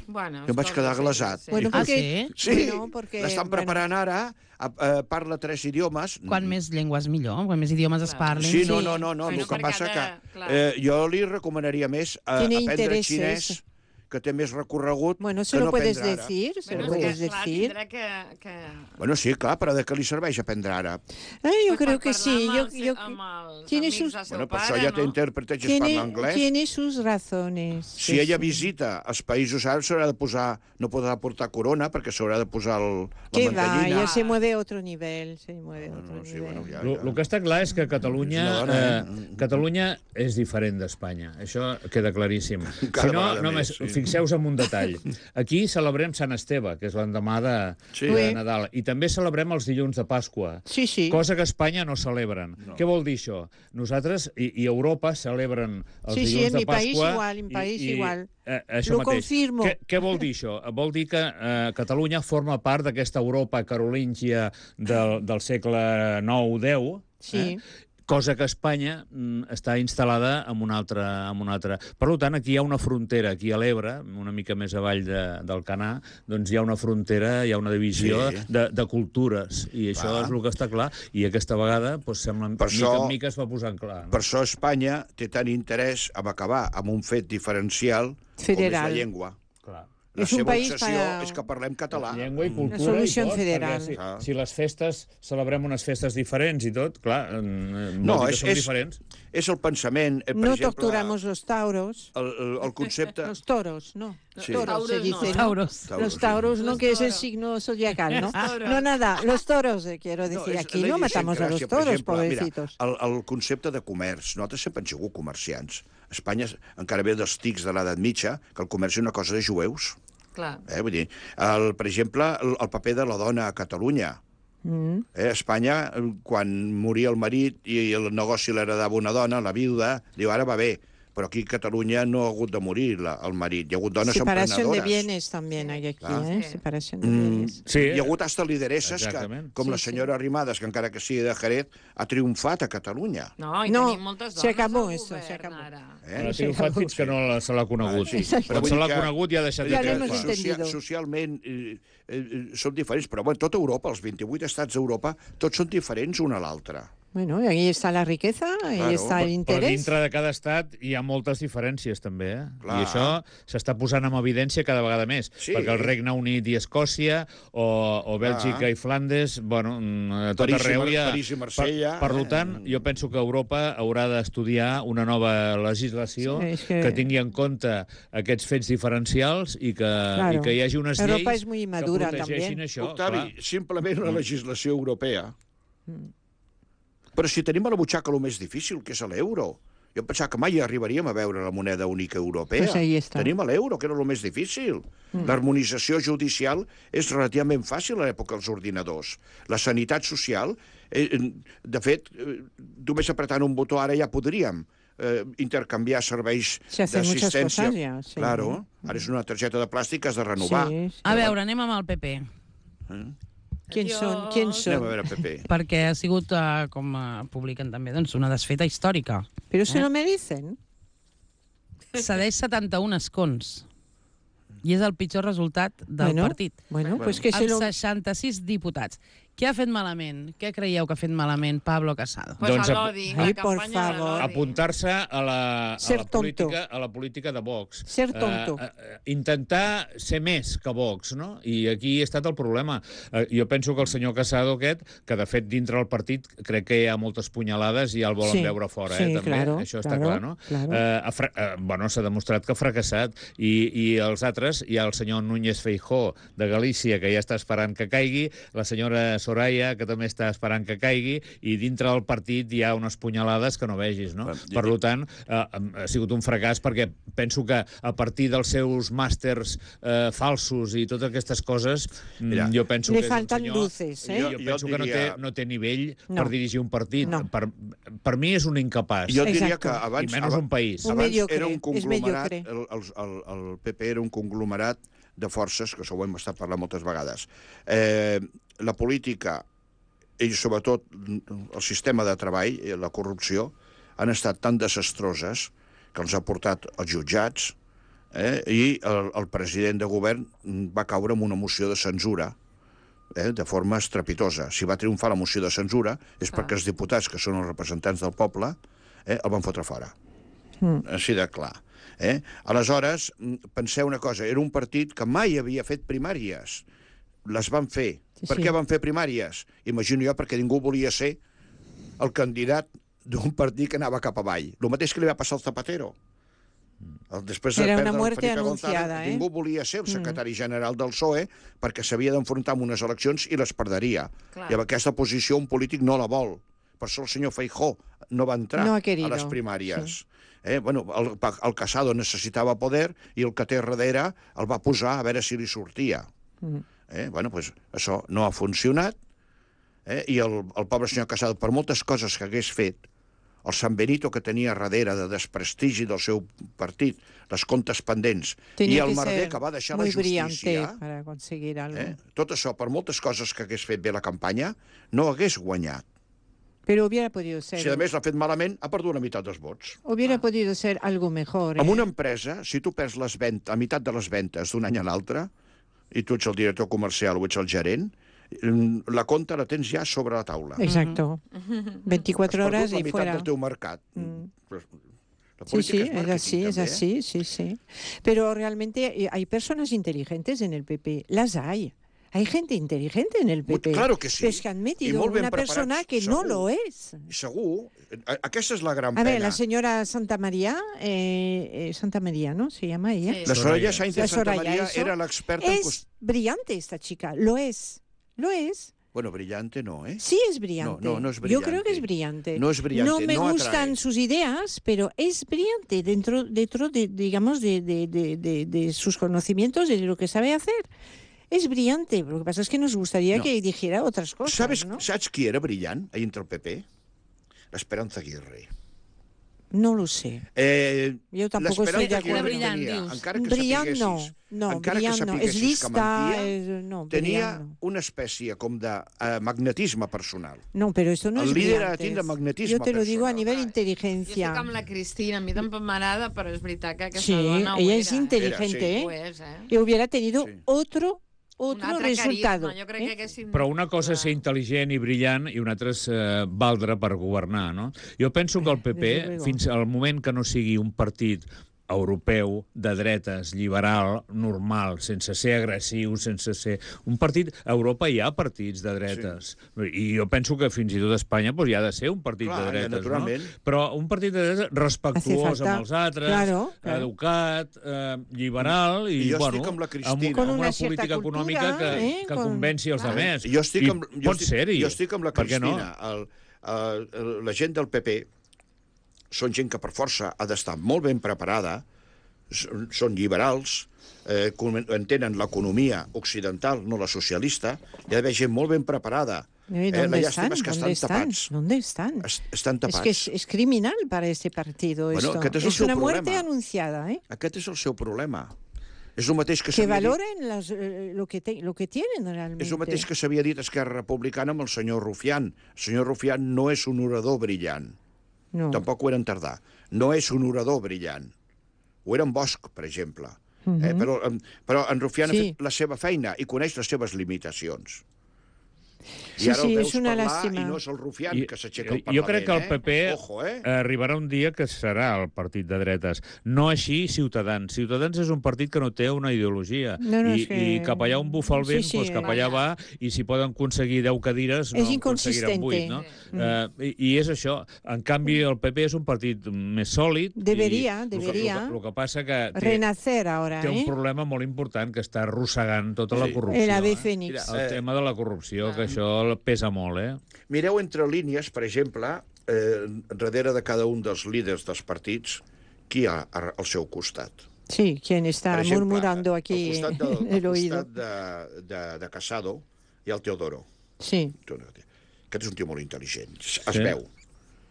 Bueno,
Jo em vaig quedar glaçat.
Bueno,
Ah,
porque...
sí?
Sí,
Bueno, porque,
l'estan
bueno.
preparant ara, a, a, parla tres idiomes.
Quan més llengües millor, quan més idiomes es
Clar.
parlin.
Sí, no,
Sí.
no, no, no.
Bueno,
el que
perquè
passa
ha de-
que
clar.
eh, jo li recomanaria més a,
Tiene
aprendre
intereses.
xinès, que té més recorregut
Bueno,
que
se lo
no
puedes
aprendre àrab.
decir, se
Bueno,
lo
és
puedes
que, clar,
decir.
tindrà que... que...
Bueno, sí, clar, però de què li serveix aprendre àrab?
Ay, yo
Pues
creo
per
que sí.
parlar
Yo,
amb els-
yo,
amb els
tiene
amics
sus-
del seu
Bueno, per
pare,
això ja té
no?
intèrpretes i es
tiene,
parla anglès.
tiene sus razones.
Si
sí,
ella
sí.
visita els països àrabs s'haurà de posar, no podrà portar corona perquè s'haurà de posar el, la
Que va,
mantellina.
ya se mueve a otro nivel, se mueve a
No,
otro
no, sí,
nivel.
bueno, ja,
El que està clar és que Catalunya,
És una dona,
eh,
eh?
Catalunya és diferent d'Espanya. Això queda claríssim.
Cada
Si no,
vegada
només,
més, sí.
fixeu-vos en un detall. Aquí celebrem Sant Esteve, que és l'endemà de,
Sí.
de Nadal, i també celebrem els dilluns de Pasqua,
Sí, sí.
cosa que a Espanya no celebren. No. Què vol dir això? Nosaltres i, i Europa celebren els
Sí, sí,
dilluns
en
de
mi país
Pasqua...
igual, en mi país
i, i,
igual.
Eh, això
Lo
mateix.
confirmo.
Què, què vol dir això? Vol dir que eh, Catalunya forma part d'aquesta Europa carolíngia del, del segle nou deu,
Sí.
eh? Cosa que Espanya mm, està instal·lada en una altra... En una altra. Per tant, aquí hi ha una frontera, aquí a l'Ebre, una mica més avall de, del Canà, doncs hi ha una frontera, hi ha una divisió
Sí.
de, de cultures, i això
Clar.
és el que està clar, i aquesta vegada, doncs, sembla,
Per
mica
això-
en mica es va posant clar. No?
Per això Espanya té tant interès en acabar amb un fet diferencial
Federal.
com és la llengua.
Clar.
La
És un
seva
país
obsessió
para-
és que parlem català.
Llengua i cultura
solució
i tot,
federal.
perquè si,
Ah.
si les festes, celebrem unes festes diferents i tot, clar, eh, vol
No,
dir que
és,
són
és,
diferents.
és el pensament... Eh, per
No
exemple,
torturamos los tauros.
El, el, el concepte...
Los toros, no.
Sí.
Toros se
Tauros no.
dice, ¿no?
Tauros.
Tauros,
Los
sí.
tauros, ¿no?
Los
Que es el
toros.
signo zodiacal, ¿no?
toros.
No, nada, los toros, eh, quiero decir.
és-
Aquí
la
no matamos a los
idiosincràsia, per
toros,
exemple,
pobrecitos.
Mira, el, el concepte de comerç. Nosaltres sempre hem sigut comerciants. Espanya encara ve dels tics de l'edat mitja, que el comerç és una cosa de jueus.
Clar.
Eh? Vull dir, el, per exemple, el, el paper de la dona a Catalunya.
Mm.
Eh, a Espanya, eh, quan moria el marit i el negoci l'heredava una dona, la viuda, diu, ara va bé. Però aquí a Catalunya no ha hagut de morir la, el marit. Hi ha hagut dones
Separación de
emprenedores.
bienes también hay aquí,
Claro.
¿eh?
Sí.
Separación de
Mm,
bienes.
Sí.
Hi ha hagut hasta lideresses que,
Exactament.
com
Sí,
la senyora Arrimadas, que encara que sigui de Jerez, ha triomfat a Catalunya.
No, i
No,
tenim moltes dones
se acabó
al
eso,
govern,
se acabó.
ara.
Eh?
No ha triomfat fins que no la, se l'ha conegut.
Ah, sí.
Quan
Però vull
se
dir
l'ha
que-
conegut ja ha deixat
Ja
de
l'hemos
triomfar.
entendido.
Socia socialment eh, eh, som diferents, però bueno, tota Europa, els vint-i-vuit estats d'Europa, tots són diferents un a l'altre.
Bueno, y ahí está la riqueza, ahí
Claro,
está el
Però
interés.
dintre de cada estat hi ha moltes diferències, també. Eh?
Clar.
I això s'està posant en evidència cada vegada més.
Sí.
Perquè el Regne Unit i Escòcia, o, o Bèlgica
Clar.
i Flandes, bueno, mm, a tot
París i
arreu
Mar-
hi ha...
París i Marsella,
Per, per
eh?
tant, jo penso que Europa haurà d'estudiar una nova legislació
Sí, és que-
que tingui en compte aquests fets diferencials i que,
Claro.
i que hi hagi unes
Europa
lleis
és muy
que
inmadura,
protegeixin
també.
això.
Octavi,
clar.
simplement la legislació europea. Però si tenim a la butxaca el més difícil, que és l'euro. Jo em pensava que mai arribaríem a veure la moneda única europea.
Pues ahí está.
Tenim l'euro, que era el més difícil. Mm. L'harmonització judicial és relativament fàcil a l'època dels ordinadors. La sanitat social, eh, de fet, eh, només apretant un botó ara ja podríem eh, intercanviar serveis
Se hacen muchas
d'assistència.
cosas ya, sí.
Claro, ara és una targeta de plàstic que has de renovar.
Sí, sí.
A veure, anem amb el P P.
¿Quién son? ¿Quién
Anem a
son?
veure, Pepe.
Perquè ha sigut, eh, com eh, publiquen també, doncs, una desfeta històrica.
Pero se lo merecen.
Cedeix setanta-un escons. I és el pitjor resultat del
Bueno,
partit.
Bueno, pues que se
Amb
lo...
seixanta-sis diputats. Què ha fet malament? Què creieu que ha fet malament Pablo Casado?
Pues
Doncs
a
ap-
l'odi,
Ai,
la
por
campanya de
favor.
l'odi.
Apuntar-se a la, a,
Ser
la
tonto.
política, a la política de Vox.
Ser tonto.
Eh, eh, intentar ser més que Vox, no? I aquí ha estat el problema. Eh, jo penso que el senyor Casado aquest, que de fet dintre del partit crec que hi ha moltes punyalades i ja el volen
Sí,
veure fora,
sí,
eh, també.
claro,
Això està
claro,
clar, no?
claro.
Eh, ha fra- eh, bueno, s'ha demostrat que ha fracassat. I, I els altres, hi ha el senyor Núñez Feijó de Galícia, que ja està esperant que caigui, la senyora Soraya, que també està esperant que caigui, i dintre del partit hi ha unes punyalades que no vegis, no?
Bueno,
Per
jo-
tant, eh, ha sigut un fracàs perquè penso que a partir dels seus màsters eh, falsos i totes aquestes coses, mm,
Mira,
jo penso
Le
que és un
faltan
senyor...
luces, ¿eh?
Jo,
Jo-
jo
jo
penso que no té,
diria-
no té nivell
No.
per dirigir un partit.
No.
Per, per mi és un incapaç.
Jo diria
Exacto.
que abans...
I menys un país.
Un
Abans
mediocre,
era un
és
conglomerat,
mediocre.
el, el, el, el P P era un conglomerat de forces, que això ho hem estat parlant moltes vegades. Eh, la política i sobretot el sistema de treball, i la corrupció, han estat tan desastroses que els ha portat als jutjats, eh, i el, el president de govern va caure amb una moció de censura, eh, de forma estrepitosa. Si va triomfar la moció de censura és
Clar.
perquè els diputats, que són els representants del poble, eh, el van fotre fora.
Mm.
Així de clar. Eh? Aleshores, mm, penseu una cosa, era un partit que mai havia fet primàries. Les van fer.
Sí,
Per
sí.
què van fer primàries? Imagino jo perquè ningú volia ser el candidat d'un partit que anava cap avall. El mateix que li va passar al Zapatero. El, després de
Era una
perdre el
muerte
Felipe
anunciada,
González,
eh?
ningú volia ser el secretari general del P S O E perquè s'havia d'enfrontar amb unes eleccions i les perderia.
Clar.
I amb aquesta posició un polític no la vol, Per això el senyor Feijó no va entrar
no
a les primàries. Sí. Eh? Bueno, el, el Casado necessitava poder i el que té darrere el va posar a veure si li sortia. Mm. Eh? Bueno, pues, això no ha funcionat, eh? I el, el pobre senyor Casado, per moltes coses que hagués fet, el San Benito que tenia darrere de desprestigi del seu partit, les comptes pendents,
Tenia
i el
que
Merder que va deixar la justícia...
para conseguir algo.
Eh? Tot això, per moltes coses que hagués fet bé la campanya, no hagués guanyat.
Pero hubiera podido ser...
Si a més l'ha fet malament, ha perdut la meitat dels vots.
Hubiera ah. podido ser algo mejor.
En
¿eh?
una empresa, si tu perds les ventes, a meitat de les ventes d'un any a l'altre, i tu ets el director comercial o ets el gerent, la compta la tens ja sobre la taula.
Exacto. veinticuatro horas y fuera.
Has perdut la meitat del teu mercat.
Mm.
La
sí, sí,
es,
es así,
también,
es así,
¿eh?
sí, sí. Pero realmente hay personas inteligentes en el P P, las hay. Hay gente inteligente en el P P.
Claro que sí.
Pero es que han metido una persona que
segur,
no lo es.
Segur. Aquesta és la gran
A
pena.
ver, la señora Santa María, eh, eh, Santa María, ¿no? Se llama ella.
Sí. La Soraya Sáenz de Santa María
eso.
Era la experta en...
Es brillante esta chica, lo es, lo es.
Bueno, brillante no, ¿eh?
Sí es brillante.
No, no, no es brillante.
Yo creo que es brillante.
No es brillante,
No me
no
gustan
atrae.
sus ideas, pero es brillante dentro, dentro de, digamos, de, de, de, de, de sus conocimientos, de lo que sabe hacer. Es brillante. Lo que pasa es que nos gustaría
no.
que dijera otras cosas,
¿Sabes,
¿no?
¿Saps qui era brillant ahí entre el P P? L'Esperanza Aguirre.
No lo sé.
Eh,
Yo tampoco estoy de acuerdo.
Brillant,
tenia,
dius.
encara que
Brillant no,
sapiguessis,
no,
encara
brillant
que
no. És
sapiguessis
lista,
que mentia,
és, no,
tenia
brillant no.
una espècie com de uh, magnetisme personal.
No, pero esto no
El
es
líder
brillante.
tiene magnetisme
Yo te lo digo a
personal.
nivel
Jo
inteligencia.
estic amb la Cristina, a mi tampoc m'agrada, però és veritat que aquesta
Sí,
dona ho
ella
era.
es inteligente,
Era, sí.
Ho
¿eh?
és, eh?
Y hubiera tenido
Sí.
otro,
Un
otro
altre
resultado.
carisma, jo crec
¿eh?
que haguéssim...
Però una cosa és ser intel·ligent i brillant i una altra és eh, valdre per governar, no? Jo penso que el P P,
Desde luego.
fins al moment que no sigui un partit europeu, de dretes, liberal, normal, sense ser agressiu, sense ser... Un partit... A Europa hi ha partits de dretes. Sí. I jo penso que fins i tot a Espanya doncs, hi ha de ser un partit
Clar,
de dretes,
naturalment.
no? Però un partit de dretes respectuós amb els altres,
Claro, claro.
educat, eh, liberal i,
I jo
bueno,
estic amb la Cristina.
amb,
Con
amb
una
una
cierta
política
cultura,
econòmica que,
eh,
que
con-
convenci els
Claro.
altres.
Jo estic
I
amb, jo
pot
estic,
ser-hi.
jo estic amb la
Per què no?
Cristina. El, el, la gent del P P són gent que per força ha d'estar molt ben preparada, són, són liberals, eh, com- entenen l'economia occidental, no la socialista, hi ha d'haver gent molt ben preparada.
¿Y
Eh, la
¿Dónde
llàstima
están?
és que
¿Dónde
estan
están?
tapats.
¿Dónde están?
Es, estan
Es
tapats.
que es, es criminal para este partido
Bueno,
esto.
aquest és el
Es
seu
una muerte
problema.
anunciada, ¿eh?
Aquest és el seu problema. És el mateix que
Que
s'havia dit,
valoren las, eh, lo, que te- lo que tienen realmente.
és el mateix que s'havia dit Esquerra Republicana amb el senyor Rufián. El senyor Rufián no és un orador brillant.
No.
Tampoc ho era en Tardà. No és un orador brillant. Ho era en Bosch, per exemple. eh? però, em, però en Rufián
Sí.
ha fet la seva feina i coneix les seves limitacions. I
Sí,
ara
sí,
el veus
és una
parlar
làstima.
i no és el Rufián que s'aixeca al
jo
Parlament.
crec que el P P
eh? Ojo, eh?
arribarà un dia que serà el partit de dretes. No així Ciutadans. Ciutadans és un partit que no té una ideologia.
No, no,
I,
és que-
I cap allà on bufa el
Sí,
vent,
sí,
doncs cap allà va, i si poden aconseguir deu cadires, no
És
en aconseguiran vuit. No?
inconsistente.
Uh, i, I és això. En canvi, el P P és un partit més sòlid.
Debería,
i el que-
debería.
El que, el que passa que té,
Renacer ahora,
té un
¿eh?
problema molt important que està arrossegant tota la
Sí.
corrupció.
El ave
eh?
fénix.
El
Eh,
tema de la corrupció, que això pesa molt, eh?
Mireu entre línies, per exemple, eh, darrere de cada un dels líders dels partits, qui hi ha al seu costat.
Sí, quien está
Per exemple,
murmurando aquí
al costat, del,
en el
al
oído.
costat de, de, de Casado hi ha el Teodoro.
Sí.
Aquest és un tio molt intel·ligent. Es
Sí.
veu.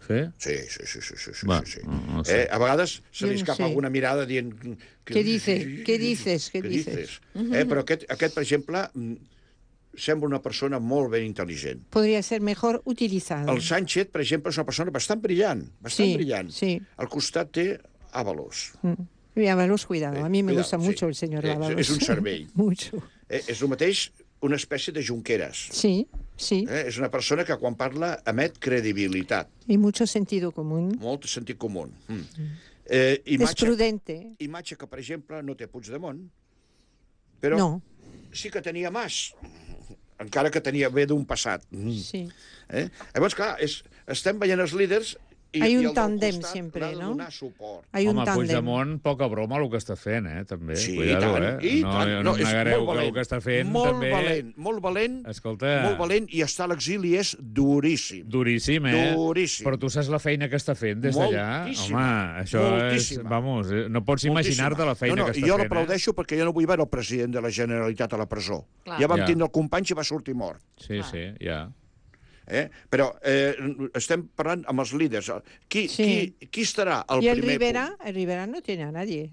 Sí?
Sí, sí, sí, sí, sí, sí,
Va,
sí, sí.
no- no sé.
Eh, a vegades se
Jo
li
no
escapa
sé.
alguna mirada dient... Que,
Què dice? Què dices? Què
Què
dices?
Eh, però aquest, aquest, per exemple, mm, sembla una persona molt ben intel·ligent.
Podría ser mejor utilizado.
El Sánchez, per exemple, és una persona bastant brillant, bastant
Sí,
brillant.
sí.
Al costat té Ábalos.
Mm. Y Ábalos, cuidado. A mí me
Cuidado,
gusta
sí.
mucho el señor
Eh,
Ábalos.
és un cervell.
Mucho.
Eh, és el mateix una espècie de Junqueras.
Sí, sí.
Eh? És una persona que quan parla emet credibilitat,
Y mucho sentido común.
molt sentit comú. Mm. Eh,
Es
imatge,
prudente.
imatge que, per exemple, no té Puigdemont, però
No.
sí que tenia Mas, encara que tenia ve d'un passat. Mm.
Sí.
Eh? Llavors, clar, és, estem veient els líders i,
Hay
i
un
el del
tándem
costat
siempre,
l'ha de
¿no?
donar suport.
Hay un
Home,
tándem.
Puigdemont, poca broma el que està fent, eh, també.
Sí,
Cuidado,
i tant,
eh?
i
no,
tant.
no,
No,
em
és
negareu
molt
que
valent,
el que està fent
molt
també...
valent, molt valent,
Escolta...
molt valent, i estar a l'exili és duríssim.
Duríssim, eh?
Duríssim.
Però tu saps la feina que està fent des d'allà?
Moltíssima.
Home, això
Moltíssima.
és... Vamos, eh, no pots
Moltíssima.
imaginar-te la feina
no, no,
que està
jo
fent,
l'aplaudeixo eh? perquè jo no vull veure el president de la Generalitat a la presó.
Clar.
Ja vam
Ja.
tindre el company i va sortir mort.
eh? Sí,
Clar.
sí, ja.
Eh? Però eh, estem parlant amb els líders. Qui,
Sí.
qui, qui estarà al
Y el
primer
Rivera,
punt?
el Rivera no tiene a nadie.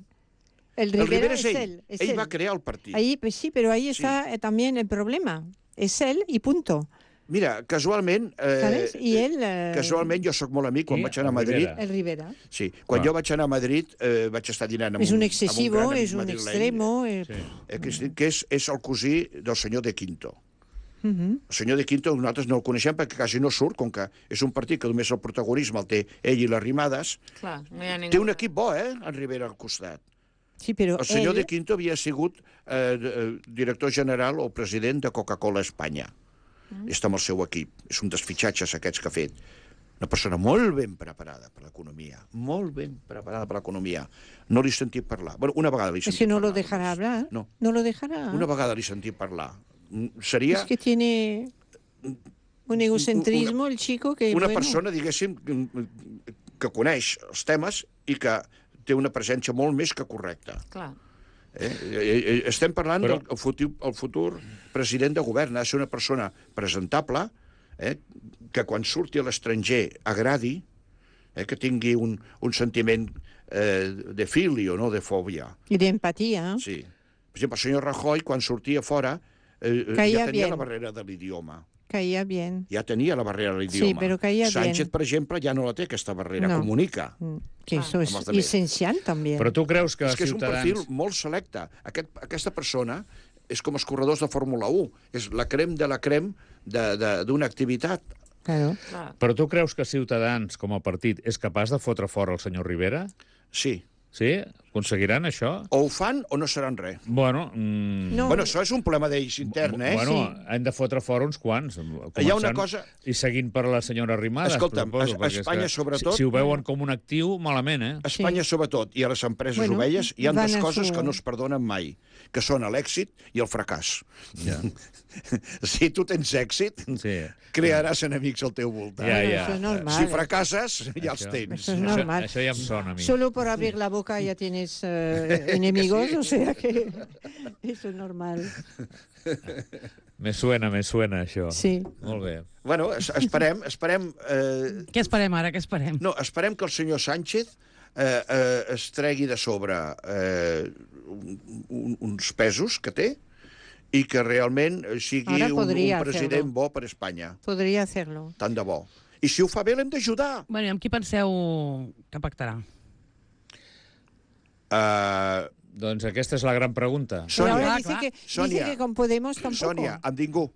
El
El
Rivera,
Rivera
es
és ell.
él. Es
ell
él.
va crear el partit.
Ahí, pues sí, pero ahí
Sí.
está eh, también el problema. Es él y punto.
Mira, casualment... Eh,
¿Sabes? Y él... eh,
Casualment, jo sóc molt amic, quan
Qui?
vaig anar a
El
Madrid...
Rivera.
El Rivera.
Sí, quan
Clar.
jo vaig anar a Madrid eh, vaig estar dinant amb
Es un
amb
excesivo,
gran amic
es un
madrileny,
extremo. eh,
Sí.
eh, que, és, que és, és el cosí del senyor de Quinto.
ujú.
El senyor de Quinto nosaltres no el coneixem perquè quasi no surt, com que és un partit que només el protagonisme el té ell i les Rimades.
Clar, no hi ha ningú.
Té un equip bo, eh, en Rivera al costat.
Sí, pero
El senyor
él...
de Quinto havia sigut eh, eh, director general o president de Coca-Cola Espanya. Mm. Està amb el seu equip. És un dels fitxatges aquests que ha fet. Una persona molt ben preparada per l'economia. Molt ben preparada per l'economia. No l'he sentit parlar. Bueno, una vegada l'he
Es
sentit
que no
parlar.
lo dejará
només.
hablar.
No.
No lo dejará.
Una vegada l'he sentit parlar. Mm, Seria
Es que tiene un egocentrismo el chico que...
una
bueno,
persona, diguéssim, que coneix els temes i que té una presència molt més que correcta.
Clar.
Eh? Eh, eh, Estem parlant
Però-
del futur, el futur president de govern. Ha de ser una persona presentable, eh? que quan surti a l'estranger agradi, eh? que tingui un, un sentiment eh, de filio, no de fòbia.
Y de empatía.
Sí. Per exemple, el senyor Rajoy, quan sortia fora, eh,
Caía
ja tenia
bien.
la barrera de l'idioma.
Caía bien.
Ja tenia la barrera de l'idioma.
Sí, però caía
Sánchez,
bien.
per exemple, ja no la té, aquesta barrera.
No.
Comunica.
Mm, Que
Ah.
eso es
Amb els altres.
esencial también.
Però tu creus que
És que és un
Ciutadans...
perfil molt selecte. Aquest, aquesta persona és com els corredors de Fórmula u. És la crem de la crem de- de- d'una activitat.
Claro.
Clar.
Però tu creus que Ciutadans, com a partit, és capaç de fotre fora el senyor Rivera?
Sí.
Sí? Aconseguiran això?
O ho fan o no seran res.
Bueno, mm,
No.
Bueno, això és un problema d'ells intern, eh?
bueno
Sí.
han de fotre fora uns quants.
Hi ha una
començant-
cosa-
I seguint per la senyora Arrimadas.
Escolta'm,
suposo,
a- a
perquè és
Espanya,
que
sobretot-
Si, si ho veuen com un actiu, malament, eh?
A Espanya, sobretot, i a les empreses
Bueno,
ovelles, hi ha
van
dues
a
coses
su-
que no es perdonen mai, que són l'èxit i el fracàs.
Ja.
Si tu tens èxit,
Sí.
crearàs enemics al teu voltant.
Ja,
Bueno,
ja.
eso es normal.
Si fracasses, ja els
Això-
tens.
Eso es
Això,
normal.
això ja em sona a mi.
Solo por abrir la boca ya tienes eh, enemigos, o sea que eso es normal.
Me suena, me suena, això.
Sí.
Molt bé.
Bueno, es- esperem, esperem... Eh,
Què esperem ara? Què esperem?
no, esperem que el senyor Sánchez eh, eh, es tregui de sobre eh, un, un, uns pesos que té i que realment sigui
Ara
un, un
podria
president
hacerlo.
bo per Espanya.
Podría hacerlo.
Tant de bo. I si ho fa bé, l'hem d'ajudar.
Bueno, i amb qui penseu que pactarà?
Uh,
Doncs aquesta és la gran pregunta.
Pero
Sònia,
ahora
Ah,
dice
clar.
que, dice
Sònia.
que con Podemos tampoco.
Sònia, amb ningú.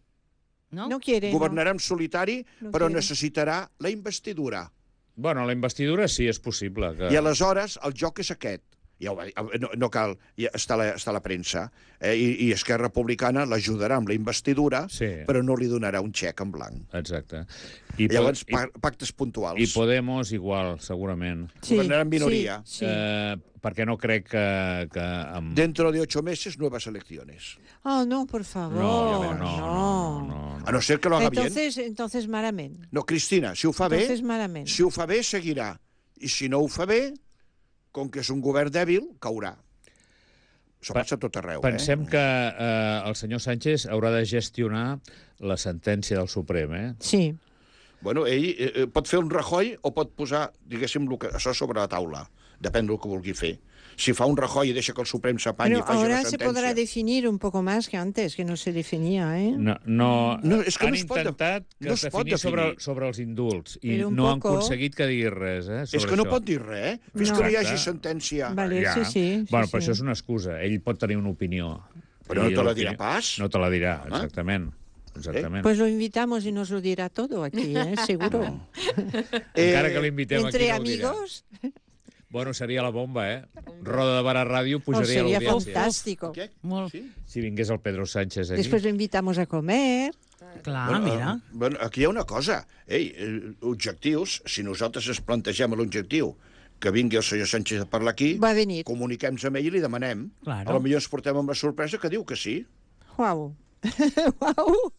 No?
No quiere. no.
Governarà en solitari,
No
però
quiere.
necessitarà la investidura.
Bueno, la investidura sí, és possible. Que...
I aleshores el joc és aquest. Ja ho va dir, no, no cal, ja està, a la, està a la premsa. Eh? I, I Esquerra Republicana l'ajudarà amb la investidura,
Sí.
però no li donarà un xec en blanc.
Exacte. I,
Llavors,
po-
pa pactes puntuals.
i, I Podemos igual, segurament.
Sí,
Governarà en minoria.
Sí, sí.
Eh, perquè no crec que... que amb...
Dentro de ocho meses, nuevas elecciones.
Oh, no, por favor.
No, no, no, no, no,
A no ser que lo haga bien.
Entonces, entonces malament.
No, Cristina, si ho fa bé,
Entonces malament.
si ho fa bé, seguirà. I si no ho fa bé, com que és un govern dèbil, caurà. Això
Pa-
passa a tot arreu,
Pensem
eh?
que eh, el senyor Sánchez haurà de gestionar la sentència del Suprem, eh?
Sí.
Bueno, ell eh, eh, pot fer un Rajoy o pot posar, diguéssim, lo que, això sobre la taula. Depèn del que vulgui fer. Si fa un Rajoy i deixa que el Suprem s'apanyi
Pero
i faci
ahora
la
se podrá
sentència...
definir un poco más que antes, que no se definía, ¿eh?
No, no,
No, és que
han
no es pot de-
intentat que
no
es
es pot
definís sobre,
definir.
sobre els indults i
Però un
no han
poco-
aconseguit que digui res, eh, sobre
És que no
això.
pot dir res, eh? Fins
No.
que no hi hagi
Exacte.
sentència.
Vale,
Ja.
sí, sí. sí,
bueno,
sí.
però això és una excusa. Ell pot tenir una opinió.
Però no
I
te la
l'opinió-
dirà pas.
No te la dirà,
Home.
exactament. Exactament.
Pues lo invitamos y nos lo dirá todo aquí, ¿eh? Seguro.
Encara que l'invitem aquí,
Entre
no ho dirà.
amigos,
Bueno, seria la bomba, eh? Roda de Bar a Ràdio
oh,
pujaria
sería
l'audiència.
fantástico.
Què?
Molt.
Sí?
Si vingués el Pedro Sánchez aquí.
Después lo invitamos a comer.
Clar,
Bueno,
mira.
eh, bueno, aquí hi ha una cosa. Ei, eh, objectius, si nosaltres ens plantegem l'objectiu que vingui el senyor Sánchez a parlar aquí,
Va venir.
comuniquem amb ell i li demanem.
Claro.
A lo millor ens portem amb la sorpresa que diu que sí.
Guau. Guau.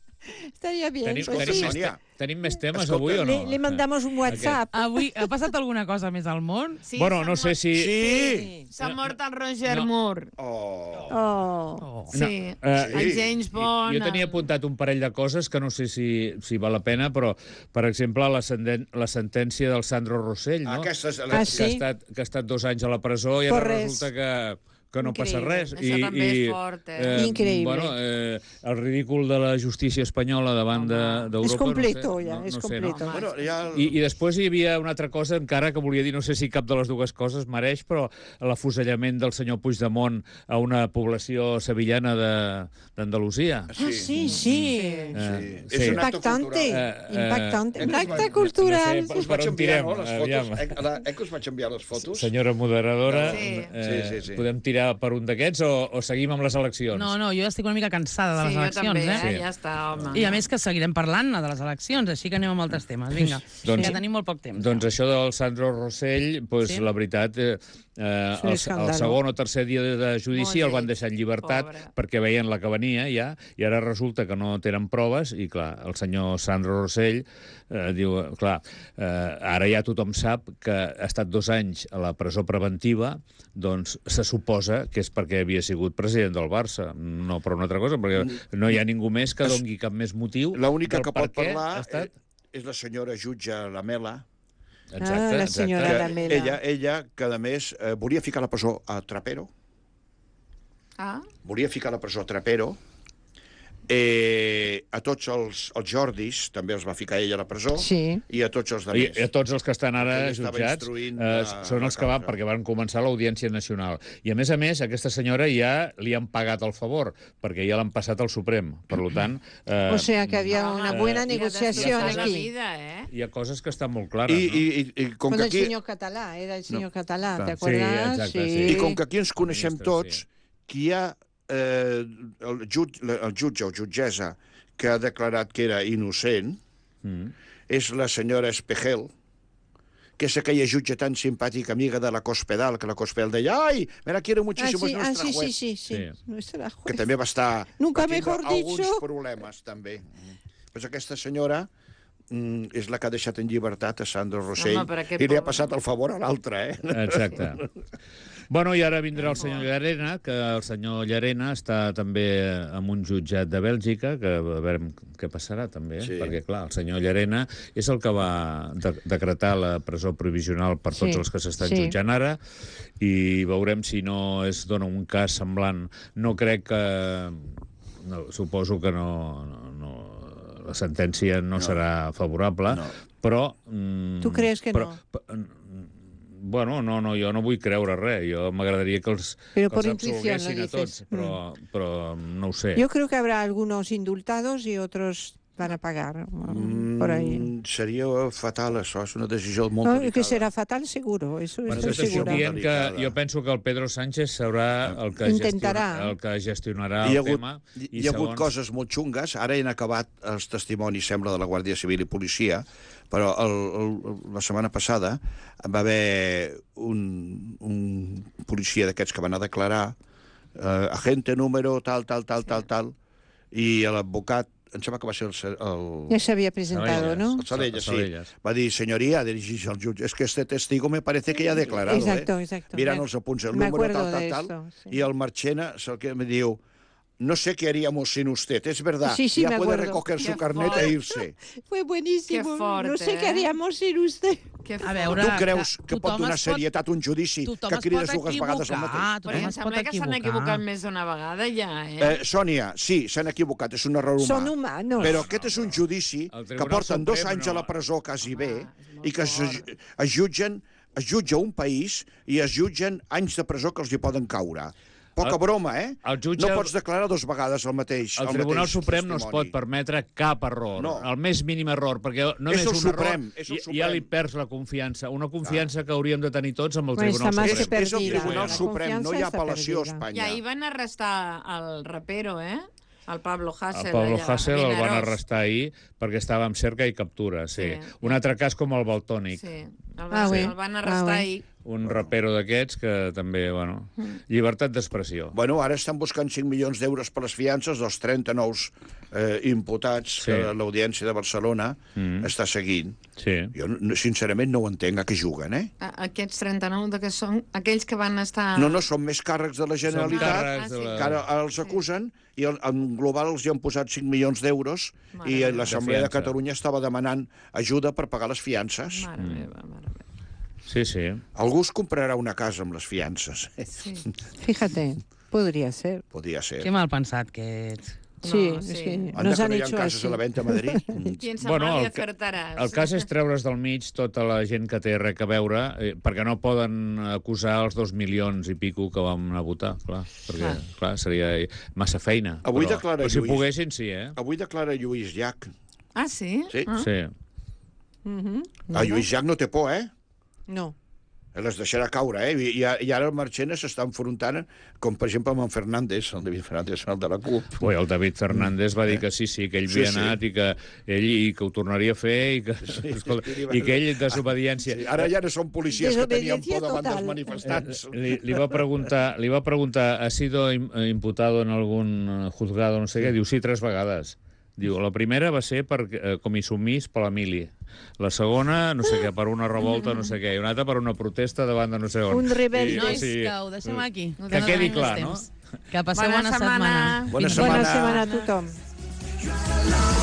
Estaría bien.
Tenim,
Pues
tenim,
sí.
més,
Sonia.
te- tenim més temes
Escolta,
avui o no?
Le, le mandamos un WhatsApp.
Avui ha passat alguna cosa més al món?
Sí,
Bueno,
s'ha
no sé
mort-
si...
Sí!
S'ha mort el Roger
No.
Moore.
Oh.
Oh.
Oh.
Sí,
eh,
el James Bond...
Jo tenia apuntat un parell de coses que no sé si, si val la pena, però, per exemple, la, senden- la sentència del Sandro Rossell, no?
Aquesta és...
Ah,
La...
que,
sí?
ha estat, que ha estat dos anys a la presó i
Per
ara
res.
resulta que, que no passa
Increïble.
res.
Això també és fort, eh?
Increïble.
Bueno, eh, el ridícul de la justícia espanyola davant de- d'Europa...
És completo,
no sé,
ja,
no,
és
no sé,
completo.
no?
Bueno, ja...
I, I després hi havia una altra cosa encara que volia dir, no sé si cap de les dues coses mereix, però l'afusellament del senyor Puigdemont a una població sevillana de- d'Andalusia.
Ah, sí, sí.
Eh,
Sí. És un acte
Impactante.
cultural.
Eh, eh,
Impactante.
eh,
Un
no
acte
sé,
cultural.
no sé,
Us vaig
Per on
enviar,
tirem?
no, les
Aviam.
fotos? Eh, la- eh, que us vaig enviar les fotos?
Senyora moderadora,
Sí.
eh,
Sí, sí, sí.
podem tirar per un d'aquests o, o seguim amb les eleccions?
No, no, jo estic una mica cansada de
Sí,
les
jo
eleccions,
també,
eh?
eh? Ja està, home.
I a més que seguirem parlant de les eleccions, així que anem amb altres temes. Vinga,
Doncs-
que tenim molt poc temps.
Doncs això del Sandro Rossell, pues,
Sí.
la veritat, eh, eh,
un
el,
escàndalo.
el segon o tercer dia de judici
Molt
el van
lleig,
deixar en llibertat
pobre.
perquè veien la que venia ja, i ara resulta que no tenen proves, i clar, el senyor Sandro Rossell eh, diu, clar, eh, ara ja tothom sap que ha estat dos anys a la presó preventiva, doncs se suposa que és perquè havia sigut president del Barça, no per una altra cosa, perquè no hi ha ningú més que dongui cap més motiu
L'única
del
que
per
pot
què
parlar
ha estat...
eh, és la senyora jutge Lamela.
Exacte,
Ah, la
exacte.
senyora
Que
Lamela.
ella, ella, que a més eh, volia ficar a la presó a Trapero,
Ah,
volia ficar a la presó a Trapero, eh, a tots els, els Jordis també els va ficar ella a la presó,
Sí.
i a tots els
I,
altres.
I a tots els que estan ara
Ell estava
jutjats
instruint
eh,
la-
són els
la
que van,
causa.
perquè van començar l'Audiència Nacional. I a més a més, aquesta senyora ja li han pagat el favor, perquè ja l'han passat al Suprem. Per tant, eh,
O sea que había una buena
li ha
negociación
destrossat la
aquí.
vida, eh?
hi ha coses que estan molt clares,
I,
no?
i, i, i com
Con
que
el
aquí...
señor Catalá, era el señor Catalá,
clar.
¿te
Sí,
acuerdas?
exacte, sí.
I com que aquí ens coneixem
Ministre,
tots,
sí.
que hi ha eh, el, jut, el jutge o jutgessa que ha declarat que era innocent,
Mm.
és la senyora Espejel, que és aquella jutge tan simpàtica, amiga de la Cospedal, que la Cospedal deia, ai, me la quiero
Ah,
muchísimo,
sí,
es
ah,
nuestra
sí, sí,
juez.
sí, sí.
Sí.
Nuestra
Que
juez.
també va estar...
Nunca
va tindre
mejor
alguns
dicho.
problemes, també. Pues aquesta senyora mm, és la que ha deixat en llibertat a Sandro Rossell,
Home, però aquest
i li ha
pobre.
passat el favor a l'altre, eh?
Exacte. Bueno, i ara vindrà el senyor Llarena, que el senyor Llarena està també en un jutjat de Bèlgica, que a veure què passarà també, eh?
Sí.
Perquè, clar, el senyor Llarena és el que va de decretar la presó provisional per tots
Sí,
els que s'estan
sí.
jutjant ara, i veurem si no es dona un cas semblant. No crec que... No, suposo que no... no, no la sentència no, no serà favorable,
No.
però... Mm,
Tu creus que
però,
no?
p- Bueno, no, no, jo no vull creure res. Jo m'agradaria que els,
Però
que
por
els
intuición lo
absolguessin a
dices.
tots, però, però no ho sé.
Yo creo que habrá algunos indultados y otros van a pagar mm, por ahí.
Mm, seria fatal, això. És una decisió molt
No,
delicada.
que será fatal seguro, eso
Bueno,
estoy
tot això
segura.
dient que
Delicada.
jo penso que el Pedro Sánchez serà el que,
Intentarà.
gestiona, el que gestionarà
Hi ha
el
hagut,
tema.
hi,
i
hi ha hagut
segons-
coses molt xungues. Ara han acabat els testimonis, sembla, de la Guàrdia Civil i Policia, però el, el, la setmana passada va haver un, un policia d'aquests que van a declarar eh, agente número tal, tal, tal, tal, tal, i l'advocat, em sembla que va ser el... el
Ya se había presentado,
Salelles.
¿no?
el Salelles, sí.
Salelles.
Va dir, senyoria, dirigís al jutge, es que este testigo me parece que ya ha declarado,
Exacto,
eh?
exacto.
Mirant
Me-
els apunts, el
me
número
acuerdo
tal,
de
tal, tal,
esto, sí.
y el Marchena es el que me diu, no sé qué haríamos sin usted, es verdad,
Sí, sí,
ya
me
puede
acuerdo.
recoger su
Qué
carnet
fort.
e irse.
Fue buenísimo.
Qué fuerte,
no sé qué
¿eh?
haríamos sin usted.
Que
A
fort.
veure,
Tu creus que pot
tothom
donar
es pot-
serietat a un judici
tothom
que
es
crides
pot
dues vegades el
equivocar,
mateix?
tothom
Però em
es pot
sembla que s'han
equivocar.
equivocat més d'una vegada ja, eh?
Eh, Sònia, sí, s'han equivocat, és un error humà.
Son humanos.
Però aquest és un judici
El
que
Tribunal
porten dos
Suprem
anys a
no.
la presó quasi bé
és molt
i que es,
fort.
es jutgen es jutja un país i es jutgen anys de presó que els hi poden caure. Poca
El-
broma, eh?
el jutge-
No pots declarar dos vegades el mateix
El
el
Tribunal
mateix
Suprem no es
testimoni.
pot permetre cap error,
No.
el més mínim error, perquè només
És el
un
Suprem,
error
és el
i-
Suprem.
ja li perds la confiança, una confiança que hauríem de tenir tots amb el
Pues
Tribunal
està més
És,
que
Suprem.
és el
perdida.
Tribunal
La
Suprem, no hi ha
confiança està
apel·lació a
perdida.
Espanya.
I ahir van arrestar el rapero, eh? El Pablo Hasél.
El Pablo
allà,
Hasél el van
Vinaròs.
arrestar ahir perquè estava en cerca i captura, sí.
Sí.
Un altre cas com el Baltònic,
Sí, el,
Ah,
van,
oui.
el van arrestar
Ah, oui.
ahir.
un rapero d'aquests que també, bueno, llibertat d'expressió.
Bueno, ara estan buscant cinc milions d'euros per les fiances dels trenta nous eh, imputats
Sí.
que l'Audiència de Barcelona
Mm.
està seguint.
Sí.
Jo, no- sincerament, no ho entenc a què juguen, eh?
A- Aquests trenta-nou de que són aquells que van estar...
No, no, són més càrrecs de la Generalitat
càrrecs de la-
que ara els acusen i el- en global els hi han posat cinc milions d'euros
Mare
i
meva.
l'Assemblea de,
De fiança.
Catalunya estava demanant ajuda per pagar les fiances.
Mare meva, mare meva.
Sí, sí.
Algú es comprarà una casa amb les fiances.
Sí.
Fíjate, podría ser.
Podria ser.
Que mal pensat que ets.
Sí,
No,
es
sí.
que
Anda,
nos
que
han
no hi ha
hecho
cases
así.
a la venda a Madrid.
Piensa
Bueno,
mal i
el ca-
acertaràs.
El cas és treure's del mig tota la gent que té res a veure, eh, perquè no poden acusar els dos milions i pico que vam anar a votar, clar, perquè clar. Clar, seria massa feina.
Avui
però,
declara
però si
Lluís.
poguessin, sí, eh?
Avui declara Lluís Llach.
Ah, sí?
Sí.
Ah.
Sí.
Ujú.
Ah, Lluís Llach no té por, eh?
No.
Les deixarà caure, eh? I, i ara el Marchena s'està enfrontant, com per exemple amb en Fernández, el David Fernández, el de la CUP.
Ui, el David Fernández va dir que sí, sí, que ell
Sí,
havia
sí.
anat i que ell i que ho tornaria a fer i que, escolta,
sí,
i que ell, desobediència...
Sí, ara ja no són policies que tenien por davant
Desobediencia
dels
total.
manifestants.
Li, li, va preguntar, li va preguntar, ¿ha sido im- imputado en algun juzgado, no sé què? Diu, sí, tres vegades. Diu, la primera va ser per eh, comissumís per l'Emili. La segona, no sé què, per una revolta, no sé què. I una altra per una protesta davant de no sé on.
Un rebelde.
I,
Nois, que ho deixem aquí.
Que quedi clar, no?
Que passeu
Bona
bona
setmana.
setmana.
Bona
Fins
setmana.
Bona setmana a tothom.